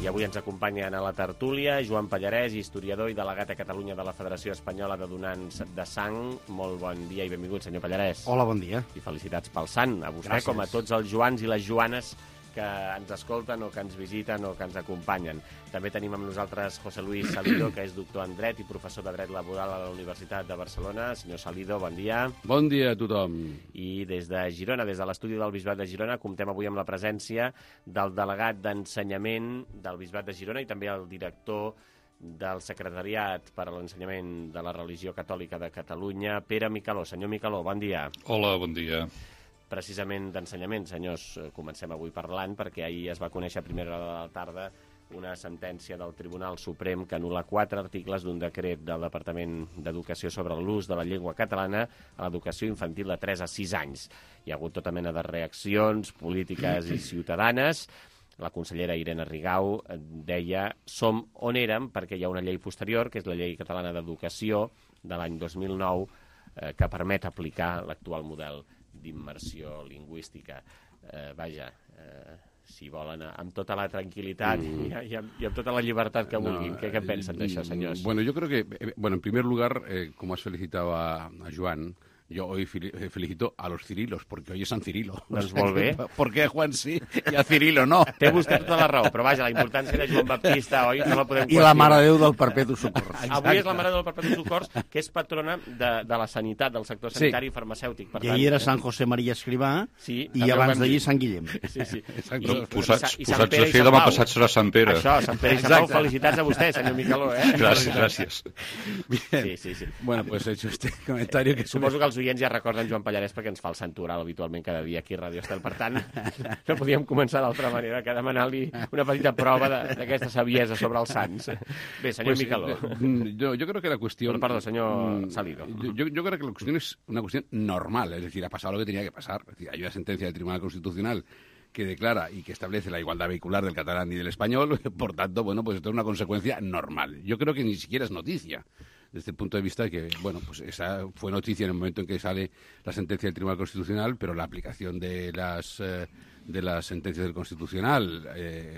I avui ens acompanyen a la tertúlia Joan Pallarès, historiador i delegat a Catalunya de la Federació Espanyola de Donants de Sang. Molt bon dia i benvingut, senyor Pallarès.
Hola, bon dia.
I felicitats pel sant, a vostè,
Gràcies.
com a tots els Joans i les Joanes que ens escolten o que ens visiten o que ens acompanyen. També tenim amb nosaltres José Luis Salido, que és doctor en Dret i professor de Dret Laboral a la Universitat de Barcelona. Senyor Salido, bon dia.
Bon dia a tothom.
I des de Girona, des de l'estudi del Bisbat de Girona, comptem avui amb la presència del delegat d'ensenyament del Bisbat de Girona i també el director del Secretariat per a l'Ensenyament de la Religió Catòlica de Catalunya, Pere Micaló. Senyor Micaló, bon dia.
Hola, bon dia.
Precisament d'ensenyament, senyors, comencem avui parlant, perquè ahir es va conèixer a primera hora de la tarda una sentència del Tribunal Suprem que anul·la quatre articles d'un decret del Departament d'Educació sobre l'ús de la llengua catalana a l'educació infantil de tres a sis anys. Hi ha hagut tota mena de reaccions polítiques i ciutadanes. La consellera Irene Rigau deia som on érem perquè hi ha una llei posterior, que és la Llei Catalana d'Educació de l'any dos mil nou, eh, que permet aplicar l'actual model d'immersió lingüística. Eh, vaja... Eh, si volen, amb tota la tranquil·litat mm. i, i, amb, i amb tota la llibertat que vulguin. No, ¿Qué, ¿Qué pensen d'això, senyors?
Bueno, yo creo que, bueno, en primer lugar, eh, como has felicitado a, a Joan, yo hoy felicito a los Cirilos, porque hoy es San Cirilo.
Doncs molt bé.
¿Por qué Juan sí i a Cirilo no?
Té vostè tota la raó, però vaja, la importància de Joan Baptista, oi? No la podem
I la Mare de Déu del Perpetu Socors.
Avui és la Mare de Déu del Perpetu Socors, que és patrona de, de la sanitat, del sector sanitari sí. i farmacèutic. Per
I ahir era Sant José Maria Escrivà
sí,
i abans d'ahir Sant Guillem.
Sí, sí.
I, posats i, i posats a fer, demà passat serà Sant Pere.
Això, Sant Pere i Sant Pau, felicitats a vostè, senyor Micaló. Eh?
Gràcies, gràcies.
Sí, sí, sí.
Bueno, pues hecho este comentario que...
Suposo que els oients ja recorden Joan Pallarès perquè ens fa el sant oral habitualment cada dia aquí a Ràdio Estel. Per tant, no podíem començar d'altra manera que demanar-li una petita prova d'aquesta saviesa sobre els sants. Bé, senyor pues, Micaló.
Yo, yo creo que la cuestión...
Bueno, perdón, señor Salido.
Yo, yo creo que la cuestión es una cuestión normal, es decir, ha pasado lo que tenía que pasar. Es decir, hay una sentencia del Tribunal Constitucional que declara y que establece la igualdad vehicular del catalán y del español, por tanto, bueno, pues esto es una consecuencia normal. Yo creo que ni siquiera es noticia. Desde el punto de vista de que, bueno, pues esa fue noticia en el momento en que sale la sentencia del Tribunal Constitucional, pero la aplicación de las eh, de las sentencias del Constitucional eh,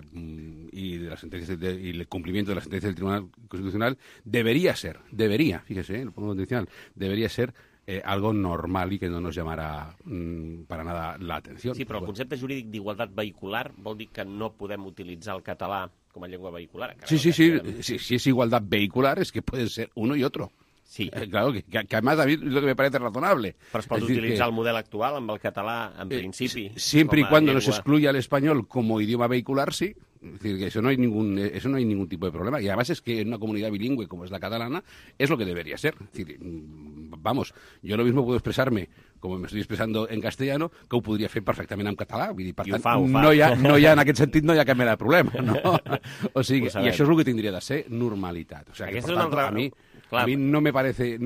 y de las sentencias de, y el cumplimiento de las sentencias del Tribunal Constitucional debería ser, debería, fíjese, eh, lo pongo condicional, debería ser eh, algo normal y que no nos llamara mm, para nada la atención.
Sí, però el concepte jurídic d'igualtat vehicular vol dir que no podem utilitzar el català com a llengua vehicular.
Sí, sí, sí, sí, si es igualdad vehicular es que pueden ser uno y otro.
Sí.
Eh, claro, que, que, que además a mí es lo que me parece razonable.
Però es pot es utilitzar que, el model actual amb el català, en principi.
Eh, siempre y cuando no se excluya el español como idioma vehicular, sí. Es decir, que eso no hay ningún eso no hay ningún tipo de problema. Y además es que en una comunidad bilingüe como es la catalana, es lo que debería ser. Es decir, vamos, yo lo mismo puedo expresarme com m'estic expressant en castellano, que ho podria fer perfectament en català. Vull dir, per tant, fa, fa. No, hi ha, no hi ha, en aquest sentit no hi ha cap mena de problema. No? O sigui, i això és el que tindria de ser normalitat. O sigui, que, per tant, altra... a mi... Claro. A mí no me parece...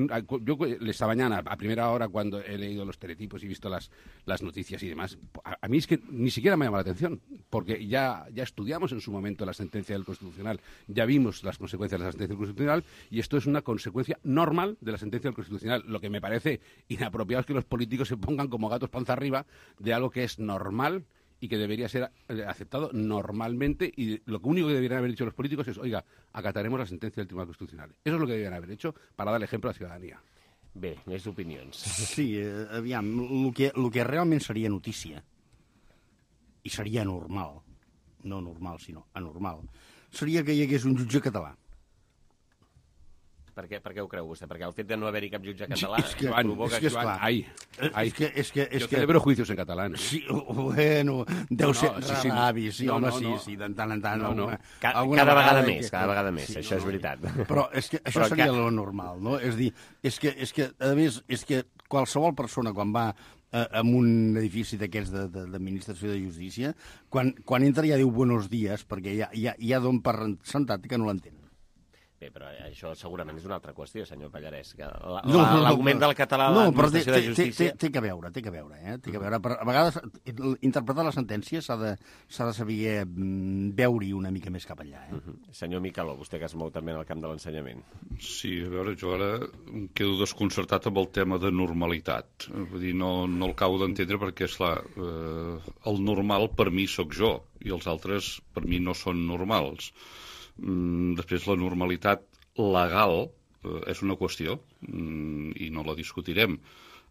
Yo esta mañana, a primera hora, cuando he leído los teletipos y visto las, las noticias y demás, a, a mí es que ni siquiera me llama la atención, porque ya, ya estudiamos en su momento la sentencia del Constitucional, ya vimos las consecuencias de la sentencia del Constitucional, y esto es una consecuencia normal de la sentencia del Constitucional. Lo que me parece inapropiado es que los políticos se pongan como gatos panza arriba de algo que es normal y que debería ser aceptado normalmente, y lo único que deberían haber dicho los políticos es, oiga, acataremos la sentencia del Tribunal Constitucional. Eso es lo que deberían haber hecho para dar ejemplo a la ciudadanía.
Bé, més opinions.
Sí, eh, aviam, el que, el que realment seria notícia, i seria normal, no normal, sinó anormal, seria que hi hagués un jutge català.
Per què, per què ho creu vostè? Perquè el fet de no haver-hi cap jutge català
es que,
provoca...
És que, esclar,
ai, ai,
és que, és que, és
jo
que...
celebro juicios en català. Eh?
Sí, bueno, deu
no,
ser
no, sí, sí,
avi, sí,
no,
home,
no,
sí,
no.
sí, de tant en tant.
No, no.
Alguna,
Ca
alguna
cada vegada,
vegada
més,
que...
cada vegada més,
sí,
això
no,
és veritat.
Però és que això
però
seria
que...
lo normal, no? És dir, és que, és que, a més, és que qualsevol persona quan va eh, en un edifici d'aquests d'administració de, de justícia, quan, quan entra ja diu buenos días, perquè ja, ja, ja don per sentat que no l'entén.
Bé, però això segurament és una altra qüestió, senyor Pallarès. L'augment
no, no, no,
del català a
no,
l'administració de justícia...
Té, té, té que veure, té que veure, eh? Té que veure. Però a vegades interpretar la sentència s'ha de, s'ha de saber veure-hi una mica més cap allà. Eh?
Uh -huh. Senyor Micaló, vostè que es mou també en el camp de l'ensenyament.
Sí, a veure, jo ara em quedo desconcertat amb el tema de normalitat. Vull dir, no, no el acabo d'entendre perquè, esclar, eh, el normal per mi sóc jo i els altres per mi no són normals. Després, la normalitat legal eh, és una qüestió mm, i no la discutirem.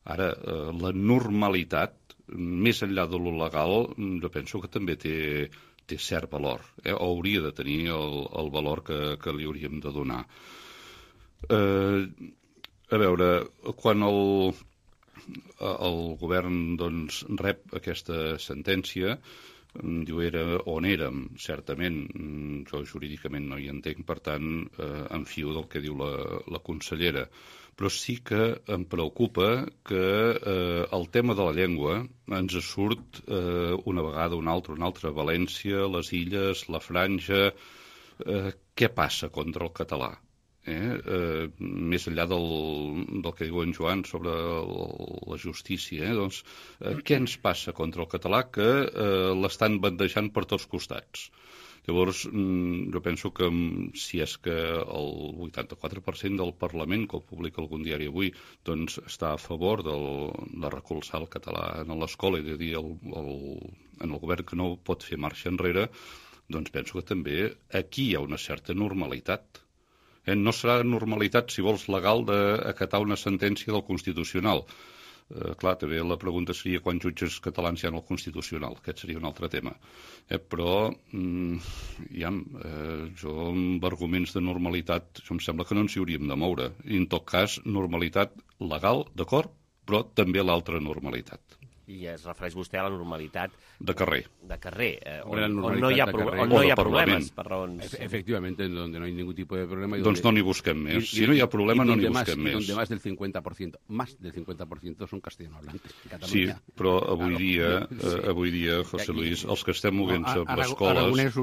Ara, eh, la normalitat, més enllà de lo legal, jo penso que també té, té cert valor, eh? O hauria de tenir el, el valor que, que li hauríem de donar. Eh, a veure, quan el, el govern doncs, rep aquesta sentència, diu, era on érem, certament, jo jurídicament no hi entenc, per tant, eh, em fio del que diu la, la consellera. Però sí que em preocupa que eh, el tema de la llengua ens surt eh, una vegada, una altra, una altra, València, les Illes, la Franja, eh, què passa contra el català? Eh? Eh, més enllà del, del que diu en Joan sobre el, la justícia, eh? doncs, eh, què ens passa contra el català que eh, l'estan bandejant per tots costats? Llavors, jo penso que si és que el vuitanta-quatre per cent del Parlament, que el publica algun diari avui, doncs està a favor del, de recolzar el català en l'escola i de dir al, al, en el govern que no pot fer marxa enrere, doncs penso que també aquí hi ha una certa normalitat. Eh, no serà normalitat, si vols, legal d'acatar una sentència del Constitucional. Eh, clar, també la pregunta seria quants jutges catalans hi ha al Constitucional. Aquest seria un altre tema. Eh, però, mm, ja, eh, jo amb arguments de normalitat, això em sembla que no ens hi hauríem de moure. I, en tot cas, normalitat legal, d'acord, però també l'altra normalitat.
I es refereix vostè a la normalitat
de carrer.
De carrer, eh, on,
on
no hi ha, pro on no hi ha problemes per raons...
Efectivamente, donde no hay ningún tipo de problema.
Doncs no n'hi busquem més. Si no hi ha problema, no n'hi busquem més.
Y donde más del cincuenta por ciento, más del cincuenta por ciento son castellano hablantes.
Sí, però avui dia, eh, avui dia, José Luis, els que estem movent-se per escoles,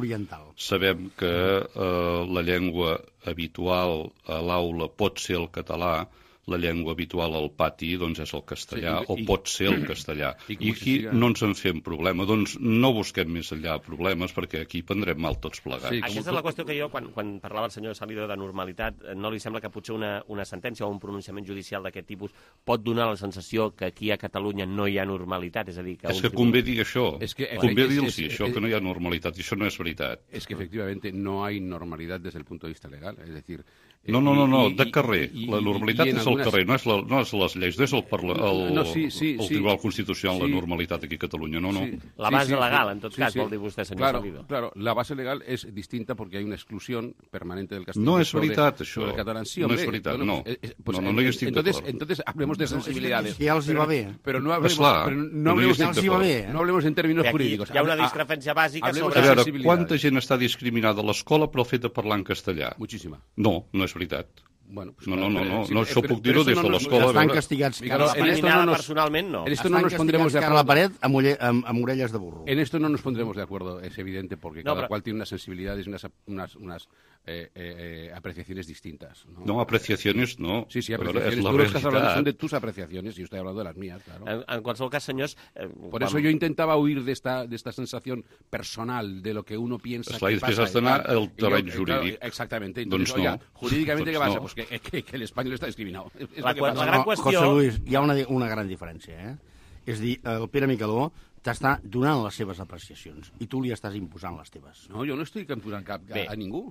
sabem que eh, la llengua habitual a l'aula pot ser el català, la llengua habitual al pati doncs és el castellà, sí, i, o pot ser el castellà. I, I aquí siga... no ens en fem problema. Doncs no busquem més enllà problemes, perquè aquí prendrem mal tots plegats. Sí,
aquesta és la qüestió que jo, quan, quan parlava el senyor Salido de normalitat, no li sembla que potser una, una sentència o un pronunciament judicial d'aquest tipus pot donar la sensació que aquí a Catalunya no hi ha normalitat? És a dir, que...
És que convé dir això. És que, convé dir-los això, que no hi ha normalitat. I això no és veritat.
És que, efectivamente, no hay normalidad desde el punto de vista legal. Es decir...
No, no, no, no, de carrer. La normalitat és el carrer, no és, la, no és les lleis, no és el, parla, el,
no, sí, sí,
el Tribunal sí, Constitucional, sí. La normalitat aquí a Catalunya, no, no. Sí,
la base
sí, sí,
legal, en tot
sí,
cas,
sí.
vol dir vostè, senyor
claro,
Salido.
Claro, la base legal es distinta porque hay una exclusión permanente del castellano.
No és veritat,
sobre,
això.
Sobre el catalán. Sí,
no
hombre,
és veritat,
bueno,
no.
Eh, pues,
no, no, no hi estic
entonces,
d'acord.
entonces hablemos de sensibilidades.
Si ja els hi va bé.
Però no hablemos,
Esclar,
pero no hablemos,
no
si va bé, eh? no hablemos en términos
aquí
jurídicos.
Hi ha una discrepància bàsica sobre...
A veure, quanta gent està discriminada a l'escola pel fet de parlar en castellà?
Muchíssima.
No, no és veritat.
Bueno, pues
no, no, no, no,
sí,
no, això
pero,
puc dir-ho des de l'escola.
Estan castigats.
Claro, en esto no nos, personalment no.
En esto no nos pondremos de acuerdo.
A la pared amb, amb, amb orelles de burro.
En esto no nos pondremos de acuerdo, es evidente, porque
no,
cada
pero...
cual tiene unas sensibilidades y unas, unas, unas eh, eh, apreciaciones distintas. ¿no?
no, apreciaciones no.
Sí, sí, apreciaciones. Tú lo estás hablando, son de tus apreciaciones y yo estoy hablando de las mías, claro.
En, en qualsevol cas, senyors...
Eh, Por quan... eso yo intentaba huir de esta, de esta sensación personal, de lo que uno piensa
Esclar,
que pasa.
Després has d'anar al terreny jurídic.
Claro, exactamente. Entonces,
doncs no.
oiga, jurídicamente,
doncs
¿qué pasa?
no.
Pues que, que, que el español está discriminado.
La, la, la gran
no,
qüestió...
José Luis, hi ha una, una gran diferència, eh? És dir, el Pere Micaló t'està donant les seves apreciacions i tu li estàs imposant les teves.
No, jo no estic imposant cap a, a ningú.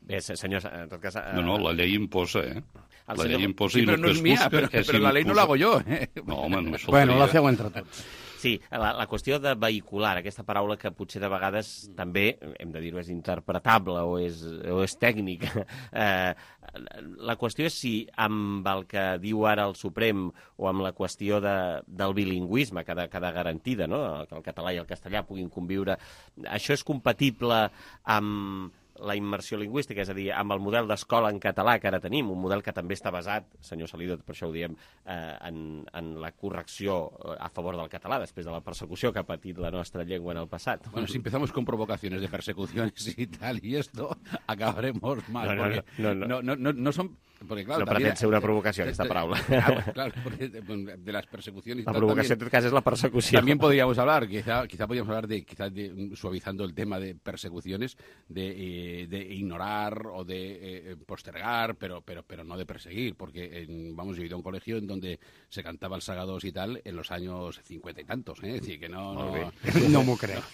Bé, senyors, en tot cas... Eh...
No, no, la llei imposa, eh?
El
la
senyor...
llei imposa
sí,
i el
no
que es
mía,
busca
però,
és
però la llei no la hago jo, eh?
No, home, no
bueno, la feu entre tots.
Sí, la, la qüestió de vehicular, aquesta paraula que potser de vegades també, hem de dir-ho, és interpretable o és, o és tècnica. Eh, la qüestió és si amb el que diu ara el Suprem o amb la qüestió de, del bilingüisme que ha de quedar garantida, no? Que el català i el castellà puguin conviure, això és compatible amb la immersió lingüística, és a dir, amb el model d'escola en català que ara tenim, un model que també està basat, senyor Salido, per això ho diem, eh, en, en la correcció a favor del català, després de la persecució que ha patit la nostra llengua en el passat.
Bueno, si empezamos con provocaciones de persecuciones y tal, y esto, acabaremos mal.
No, no,
porque
no, no,
no, no, no, no son... Porque, claro,
no pretén ser una provocació, aquesta paraula.
Claro, claro, porque de, de las persecuciones...
La provocació, en tot cas, és la persecució.
También podríamos hablar, quizá, quizá podríamos hablar de, quizá de, suavizando el tema de persecuciones, de, eh, de ignorar o de eh, postergar, pero, pero, pero no de perseguir, porque, en, vamos, yo he ido a un colegio en donde se cantaba el Sagados y tal en los años cincuenta y tantos, ¿eh? Es decir, que no... No,
no m'ho crec.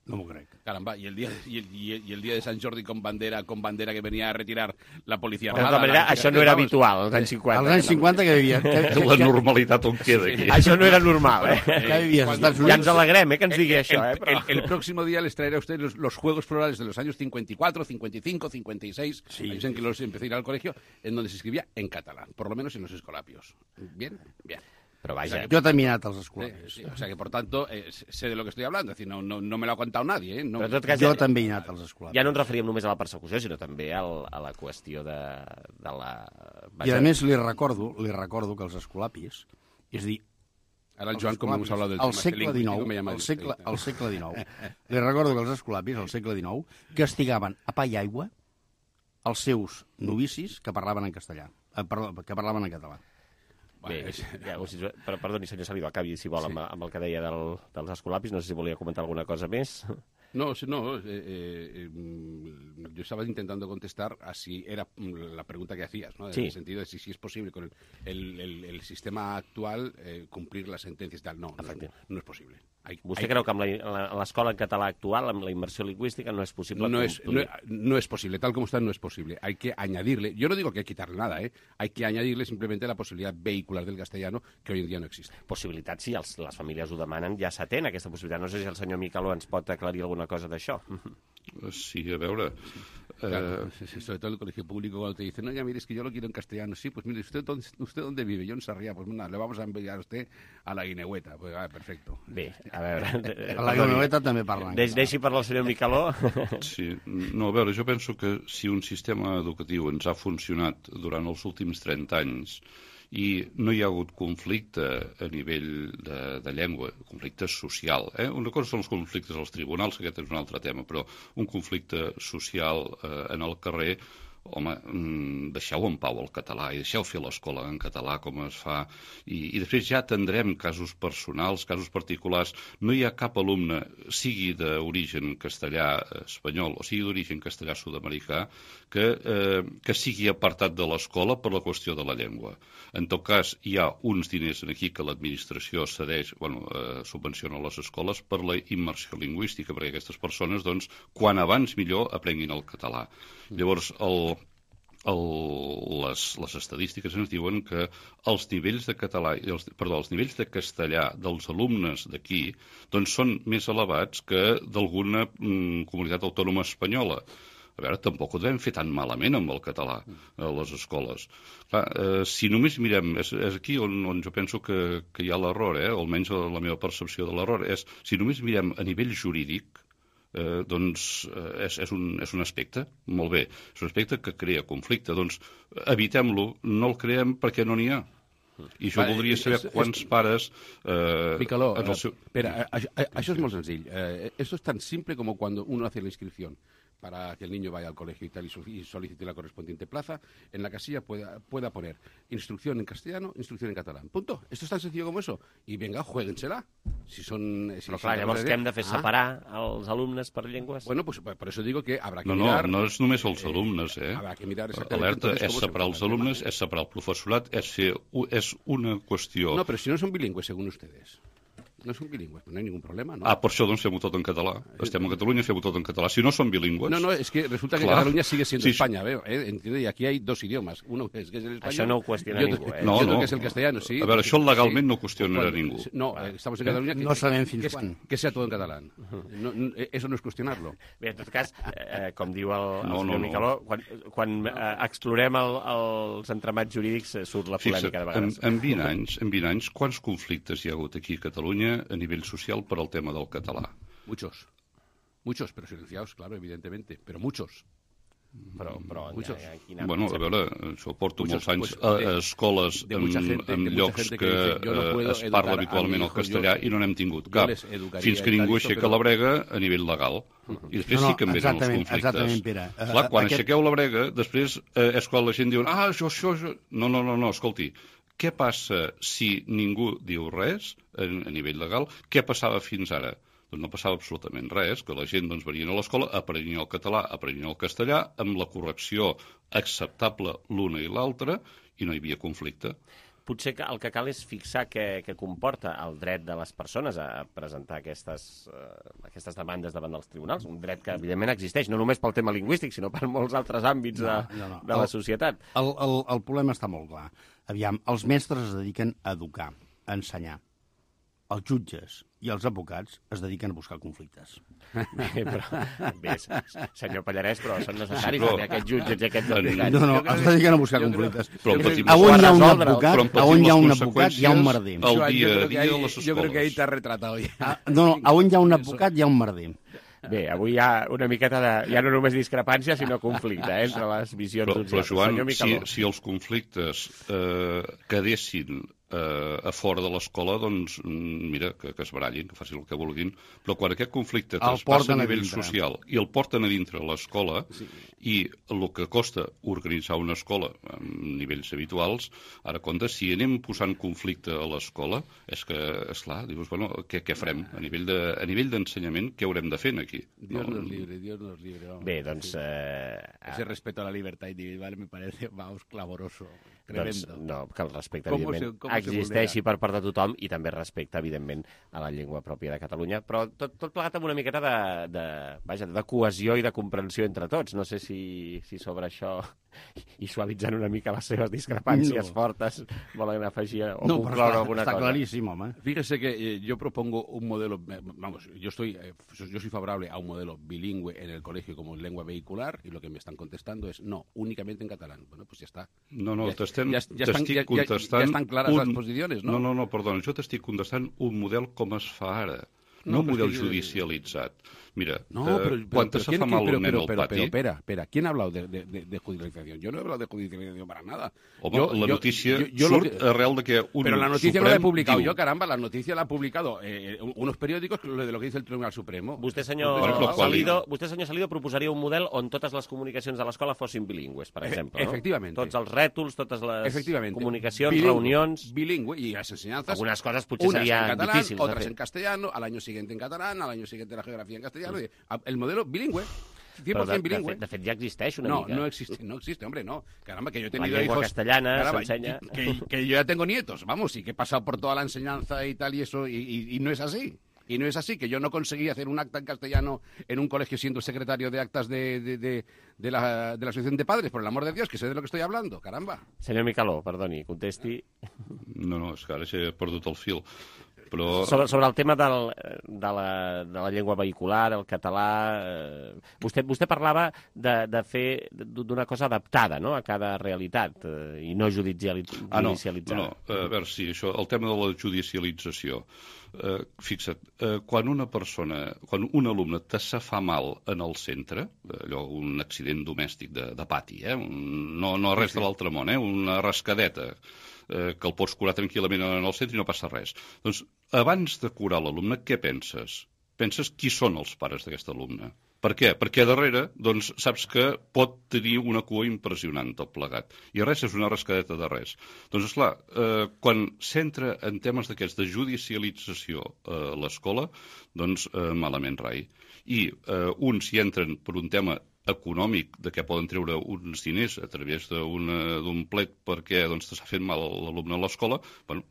No m'ho crec.
Caramba, y el, día, y, el, y, el, y el día de Sant Jordi con bandera con bandera que venía a retirar la policía.
De tota manera, això no era habitual, als anys cinquanta.
Als anys cinquanta que vivia... Que,
que, la normalitat on queda aquí.
Això no era normal, eh?
Que vivies als Estats Units.
Ja ens alegrem, eh, que ens digui això, eh?
Però... El, el próximo día les traeré a ustedes los, los Juegos Florales de los años cincuenta y cuatro, cincuenta y cinco, cincuenta y seis, sí, en que los empecé a ir al colegio, en donde se escribía en catalán, por lo menos en los escolapios. Bien, bien.
Pero vaya.
O sea, yo también he anat als escolapios.
Sí, sí, o sea que, por tanto, eh, sé de lo que estoy hablando. Es decir, no, no, no me lo ha contado nadie. Eh? No...
Però, cas,
jo ja, també he anat als escolapios.
Ja no ens referíem només a la persecució, sinó també al, a la qüestió de, de la...
I a més li recordo, li recordo que els escolapis, és dir,
Ara el Joan, com hemos hablado del
al
tema
segle
lingüístico,
dinou,
me llama
al
el
segle, al segle dinou, li recordo que els escolapis, al segle dinou, castigaven a pa i aigua els seus novicis que parlaven en castellà, eh, perdó, que parlaven en català.
Bé, ja, però, perdoni, senyor Salido, acabi, si vol, amb, amb el que deia del, dels escolapis. No sé si volia comentar alguna cosa més.
No, no, eh, eh, yo estaba intentando contestar a si era la pregunta que hacías, ¿no? En
sí.
el sentido de si, si es posible con el, el, el, el sistema actual eh, cumplir las sentencias y tal. No, no, no es posible. Hay,
¿Usted
hay...
creu que amb l'escola en català actual, amb la immersió lingüística, no es posible?
No es, no, no es posible, tal como está no es posible. Hay que añadirle, yo no digo que hay que quitarle nada, ¿eh? Hay que añadirle simplemente la posibilidad vehicular del castellano que hoy en día no existe.
Possibilitat, sí, els, les famílies ho demanen, ja s'atén aquesta possibilitat. No sé si el senyor Micaló ens pot aclarir alguna cosa d'això.
Sí, a veure...
Claro, eh... sobre todo el colegio público cuando te dice, no, ya mire, es que yo lo quiero en castellano. Sí, pues mire, ¿usted dónde, usted dónde vive? Yo en Sarriá. Pues nada, le vamos a enviar a usted a la Guineueta. Pues ah, perfecto.
Bé, a veure...
A la Guineueta també parlen.
Deix, deixi parlar el senyor Micaló.
Sí, no, a veure, jo penso que si un sistema educatiu ens ha funcionat durant els últims trenta anys i no hi ha hagut conflicte a nivell de, de llengua, conflicte social. Eh? Una cosa són els conflictes als tribunals, aquest és un altre tema, però un conflicte social eh, en el carrer, home, deixeu en pau el català i deixeu fer l'escola en català com es fa, i, i després ja atendrem casos personals, casos particulars. No hi ha cap alumne, sigui d'origen castellà espanyol o sigui d'origen castellà sud-americà, que, eh, que sigui apartat de l'escola per la qüestió de la llengua. En tot cas, hi ha uns diners aquí que l'administració cedeix, bueno, eh, subvenciona les escoles per la immersió lingüística, perquè aquestes persones, doncs, quan abans millor aprenguin el català. Llavors, el, el, les, les estadístiques ens diuen que els nivells de català, els, perdó, els nivells de castellà dels alumnes d'aquí doncs són més elevats que d'alguna mm, comunitat autònoma espanyola. A veure, tampoc ho devem fer tan malament amb el català a les escoles. Clar, eh, si només mirem, és, és aquí on, on jo penso que, que hi ha l'error, eh? Almenys la meva percepció de l'error, és si només mirem a nivell jurídic, eh, doncs eh, és, és, un, és un aspecte, molt bé, és un aspecte que crea conflicte, doncs evitem-lo, no el creem perquè no n'hi ha. I jo
vale,
voldria saber
és,
quants
és...
pares... Eh,
Micaló,
en el seu...
espera, això, això és molt senzill. Eh, esto es tan simple como cuando uno hace la inscripción para que el niño vaya al colegio y tal y solicite la correspondiente plaza, en la casilla pueda, pueda poner instrucción en castellano, instrucción en catalán. Punto. Esto es tan sencillo como eso. I vinga, juéguensela. Si son, si
Però clar, llavors què hem de fer? Separar ah. els alumnes per llengües?
Bueno, pues por eso digo que habrá que
no,
mirar...
No, no és només els alumnes, eh?
Habrá que mirar exactament...
Alerta, és separar els alumnes, és separar el professorat, és, fer, és una qüestió...
No, però si no són bilingües, según ustedes. No són bilingües, no hi ha ningún problema, ¿no?
Ah, per això doncs fem-ho tot en català. Estem a Catalunya, fem-ho tot en català. Si no són bilingües...
No, no, es que resulta que
Clar.
Cataluña sigue siendo
sí,
España, veo, ¿eh? Entiende, y aquí hay dos idiomas. Uno es que es el español...
Això no ho qüestiona
y
ningú, eh?
No,
otro
no.
que es el castellano, sí.
A veure, això legalment no qüestionarà
Cuando,
ningú.
No, eh, estamos en Cataluña...
No sabem fins
que,
quan.
Que sea todo en catalán. No, no, eso no es cuestionarlo.
Bé, en tot cas, eh, com diu el, el
no,
senyor
no,
Micaló,
no.
quan, quan eh, explorem el, els entramats jurídics eh, surt la polèmica
Fixa,
de vegades.
En, en, vint anys, en vint anys, quants conflictes hi ha hagut aquí a Catalunya a nivell social per al tema del català?
Muchos. Muchos, pero silenciados, claro, evidentemente. Pero muchos.
Però, però
muchos.
En, en, en
bueno, a veure, això porto
muchos,
molts anys
pues,
a,
de,
a escoles
de
en,
gente,
en llocs que, que no eh, es parla habitualment el castellà i no n'hem tingut cap. Fins que ningú aixeca però... la brega a nivell legal. Uh -huh. I després no, no, sí que em venen els conflictes.
Exactament, Pere. Uh,
Clar, quan
aquest...
aixequeu la brega, després eh, és quan la gent diu ah, això, això, això... No, no, no, no, escolti, què passa si ningú diu res a, a nivell legal? Què passava fins ara? Doncs no passava absolutament res, que la gent doncs, venien a l'escola, aprenien el català, aprenien el castellà, amb la correcció acceptable l'una i l'altra, i no hi havia conflicte.
Potser que el que cal és fixar què, què comporta el dret de les persones a presentar aquestes, uh, aquestes demandes davant dels tribunals, un dret que evidentment existeix, no només pel tema lingüístic, sinó per molts altres àmbits de, no, no, no. de la societat.
El, el, el problema està molt clar. Aviam, els mestres es dediquen a educar, a ensenyar. Els jutges i els advocats es dediquen a buscar conflictes.
Bé, però, bé senyor Pallarès, però són necessaris sí, però... aquests jutges i aquests advocats.
No, no, es dediquen a buscar conflictes.
Però,
a on hi ha un advocat, a on hi ha un advocat, hi ha un merder.
El dia a dia de les escoles.
Jo crec que ahí t'has retratado ja.
No, no, a on hi ha un advocat, hi ha un merder.
Bé, avui hi ha una miqueta de... Ja no només discrepància, sinó conflicte, eh, entre les visions
però,
d'uns
però, Joan,
si,
si els conflictes eh, quedessin eh, a fora de l'escola, doncs, mira, que, que es barallin, que facin el que vulguin, però quan aquest conflicte traspassa a nivell social i el porten a dintre l'escola, sí. I el que costa organitzar una escola a nivells habituals, ara compte, si anem posant conflicte a l'escola, és que, esclar, dius, bueno, què, què farem? A nivell de, a nivell d'ensenyament, què haurem de fer aquí?
Dios no, nos libre, Dios nos libre. Vamos.
Bé, doncs... Eh,
Ese respeto a la libertad individual me parece, vamos, clamoroso.
Doncs, no, que el respecte, com evidentment, se, existeixi per part de tothom i també respecte, evidentment, a la llengua pròpia de Catalunya, però tot, tot plegat amb una miqueta de, de, vaja, de cohesió i de comprensió entre tots. No sé si, si sobre això, i suavitzant una mica les seves discrepàncies no. fortes, volen afegir o
no,
concloure alguna
está
cosa.
Clarísimo, home. Fíjese que eh, yo propongo un modelo, vamos, yo estoy, eh, yo soy favorable a un modelo bilingüe en el colegio como lengua vehicular, y lo que me están contestando es no, únicamente en catalán. Bueno, pues ya está.
No, no,
ya,
t'estem,
ja, ja estan,
t'estic
ja,
contestant...
Ja, ja estan clares
un...
les posicions, no?
No, no, no, perdona, jo t'estic contestant un model com es fa ara, no, no un model que... judicialitzat. Mira,
no,
eh,
pero,
quan
pero,
se fa mal un nen al
pero,
pati...
Pero, espera, espera, ¿quién ha hablado de, de, de, de judicialización? Yo no he hablado de judicialización para nada.
Home,
yo,
la
yo,
noticia
yo, yo
surt
que...
arrel de que un
Pero la noticia
Suprem
no la he publicado
diu...
yo, caramba, la noticia la ha publicado eh, unos periódicos de lo que dice el Tribunal Supremo.
Vostè, senyor,
bueno,
Salido, vostè, senyor Salido, proposaria un model on totes les comunicacions de l'escola fossin bilingües, per exemple, no?
Efectivamente.
Tots els rètols, totes les comunicacions,
bilingüe,
reunions...
Bilingüe, y las enseñanzas...
Algunas cosas potser serien
en catalán,
difícils.
Otras en castellano, al año siguiente en catalán, al año siguiente la geografía en castellano. Sí. El modelo bilingüe. cien por ciento bilingüe.
De, de fet, ja existeix una
no,
mica.
No, no existe, no existe, hombre, no. Caramba, que yo he tenido
la lengua
hijos...
castellana
caramba,
s'ensenya...
Que, que, que yo ya tengo nietos, vamos, y que he pasado por toda la enseñanza y tal y eso, y, y, y no es así. Y no es así, que yo no conseguí hacer un acta en castellano en un colegio siendo secretario de actas de, de, de, de, la, de la Asociación de Padres, por el amor de Dios, que sé de lo que estoy hablando, caramba.
Senyor Micaló, perdoni, contesti.
No, no, és que ara he perdut el fil. Però...
Sobre, sobre el tema del, de, la, de la llengua vehicular, el català... Eh, vostè, vostè parlava de, de fer d'una cosa adaptada, no?, a cada realitat eh, i no judicialitzada.
Ah, no, no, a veure, sí, això, el tema de la judicialització. Eh, fixa't, eh, quan una persona, quan un alumne te se fa mal en el centre, allò, un accident domèstic de, de pati, eh, un, no, no res de l'altre món, eh, una rascadeta, eh, que el pots curar tranquil·lament en el centre i no passa res. Doncs, abans de curar l'alumne, què penses? Penses qui són els pares d'aquest alumne. Per què? Perquè darrere, doncs, saps que pot tenir una cua impressionant tot plegat. I res és una rascadeta de res. Doncs, esclar, eh, quan s'entra en temes d'aquests de judicialització a eh, l'escola, doncs, eh, malament rai. I eh, uns hi entren per un tema econòmic, de què poden treure uns diners a través d'un plet perquè doncs, s'ha fet mal l'alumne a l'escola, bueno,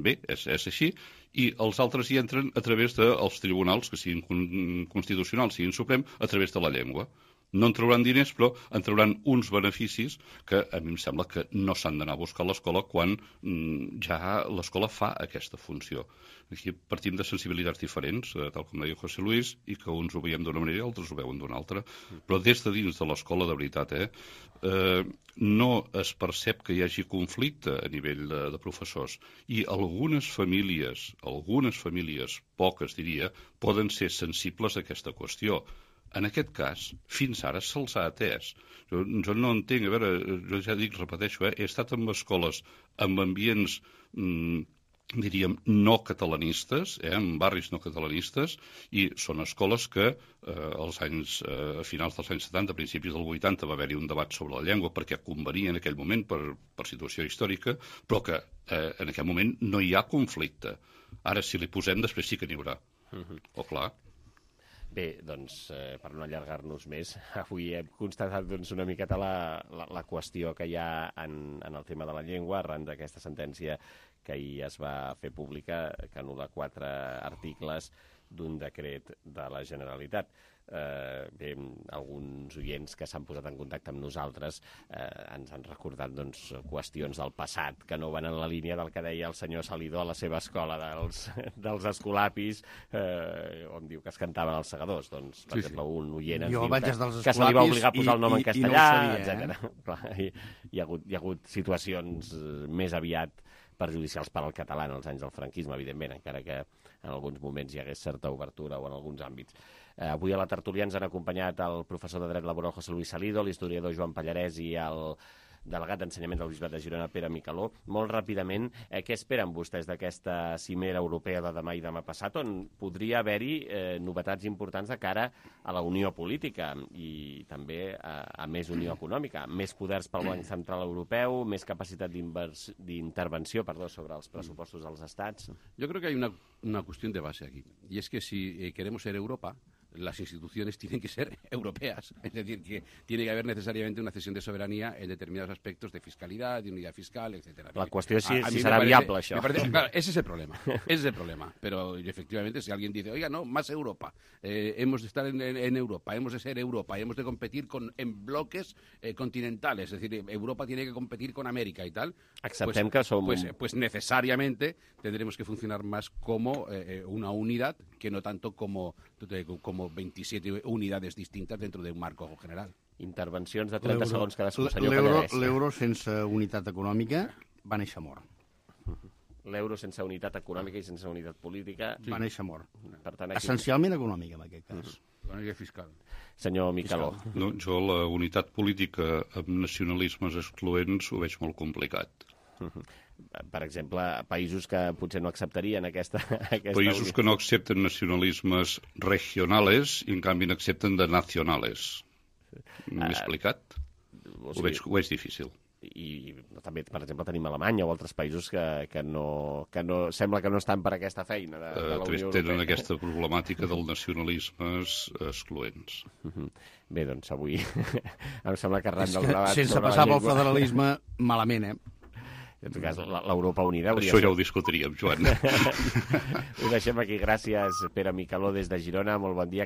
bé, és, és així, i els altres hi entren a través dels tribunals, que siguin constitucionals, siguin suprem, a través de la llengua. No en trauran diners, però en trauran uns beneficis que a mi em sembla que no s'han d'anar a buscar a l'escola quan mm, ja l'escola fa aquesta funció. Aquí partim de sensibilitats diferents, eh, tal com deia José Luis, i que uns ho veiem d'una manera i altres ho veuen d'una altra. Però des de dins de l'escola, de veritat, eh, eh, no es percep que hi hagi conflicte a nivell de, de professors. I algunes famílies, algunes famílies, poques diria, poden ser sensibles a aquesta qüestió. En aquest cas, fins ara se'ls ha atès. Jo, jo no entenc, a veure, jo ja dic, repeteixo, eh, he estat en escoles amb ambients, mm, diríem, no catalanistes, eh, en barris no catalanistes, i són escoles que eh, als anys, eh, a finals dels anys setanta, a principis del vuitanta, va haver-hi un debat sobre la llengua perquè convenia en aquell moment per, per situació històrica, però que eh, en aquell moment no hi ha conflicte. Ara, si li posem, després sí que n'hi haurà. Uh-huh. O clar...
Bé, doncs, eh, per no allargar-nos més, avui hem constatat doncs, una miqueta la, la, la qüestió que hi ha en, en el tema de la llengua arran d'aquesta sentència que ahir es va fer pública, que anul·la quatre articles d'un decret de la Generalitat. Eh, bé, alguns oients que s'han posat en contacte amb nosaltres eh, ens han recordat doncs, qüestions del passat que no van en la línia del que deia el senyor Salidó a la seva escola dels, dels escolapis, eh, on diu que es cantaven els segadors. Doncs, per sí, exemple, sí. un oient ens jo diu que, que se li va obligar a posar el nom i, en castellà, no etcètera. Eh? Hi, hi, ha hagut, hi ha hagut situacions més aviat perjudicials per al català en els anys del franquisme, evidentment, encara que en alguns moments hi hagués certa obertura o en alguns àmbits. Eh, avui a la tertúlia ens han acompanyat el professor de Dret Laboral José Luis Salido, l'historiador Joan Pallarès i el delegat d'Ensenyament del Bisbat de Girona, Pere Micaló. Molt ràpidament, eh, què esperen vostès d'aquesta cimera europea de demà i demà passat, on podria haver-hi eh, novetats importants de cara a la unió política i també a, a més unió econòmica, més poders pel Banc Central Europeu, més capacitat d'intervenció perdó, sobre els pressupostos dels estats?
Yo creo que hay una, una cuestión de base aquí, y es que si eh, queremos ser Europa, las instituciones tienen que ser europeas. Es decir, que tiene que haber necesariamente una cesión de soberanía en determinados aspectos de fiscalidad, de unidad fiscal, etcétera.
La cuestión es si,
a, a
si será parece, viable eso.
Parece, claro, ese es el problema. Ese es el problema. Pero efectivamente, si alguien dice, oiga, no, más Europa, eh, hemos de estar en, en, en Europa, hemos de ser Europa, hemos de competir con, en bloques eh, continentales, es decir, Europa tiene que competir con América y tal,
Aceptem
pues,
que som...
pues, pues necesariamente tendremos que funcionar más como eh, una unidad que no tanto como, como veintisiete unidades distintas dentro de un marco general.
Intervencions de trenta segons cadascú, senyor Pallarès.
L'euro sense unitat econòmica va néixer mort.
L'euro sense unitat econòmica i sense unitat política...
Sí. Va néixer mort.
Per tant, aquí...
Essencialment econòmica, en aquest cas.
Econòmica i fiscal.
Senyor Micaló.
No, jo la unitat política amb nacionalismes excloents ho veig molt complicat.
Per exemple, països que potser no acceptarien aquesta... aquesta
països
unitat.
que no accepten nacionalismes regionales i en canvi n'accepten de nacionales. M'he explicat?
O
Ho
sigui,
veig, ho veig difícil.
I també, per exemple, tenim Alemanya o altres països que, que, no, que no, sembla que no estan per aquesta feina de, de la
Uh,
Unió Europea.
tenen aquesta problemàtica dels nacionalismes excloents.
Uh-huh. Bé, doncs avui em sembla que arran del debat
sense
sobre
passar
la
pel federalisme, malament, eh?
En tot cas, l'Europa Unida...
Això ja ho discutiríem, Joan.
Ho deixem aquí. Gràcies, Pere Micaló, des de Girona. Molt bon dia.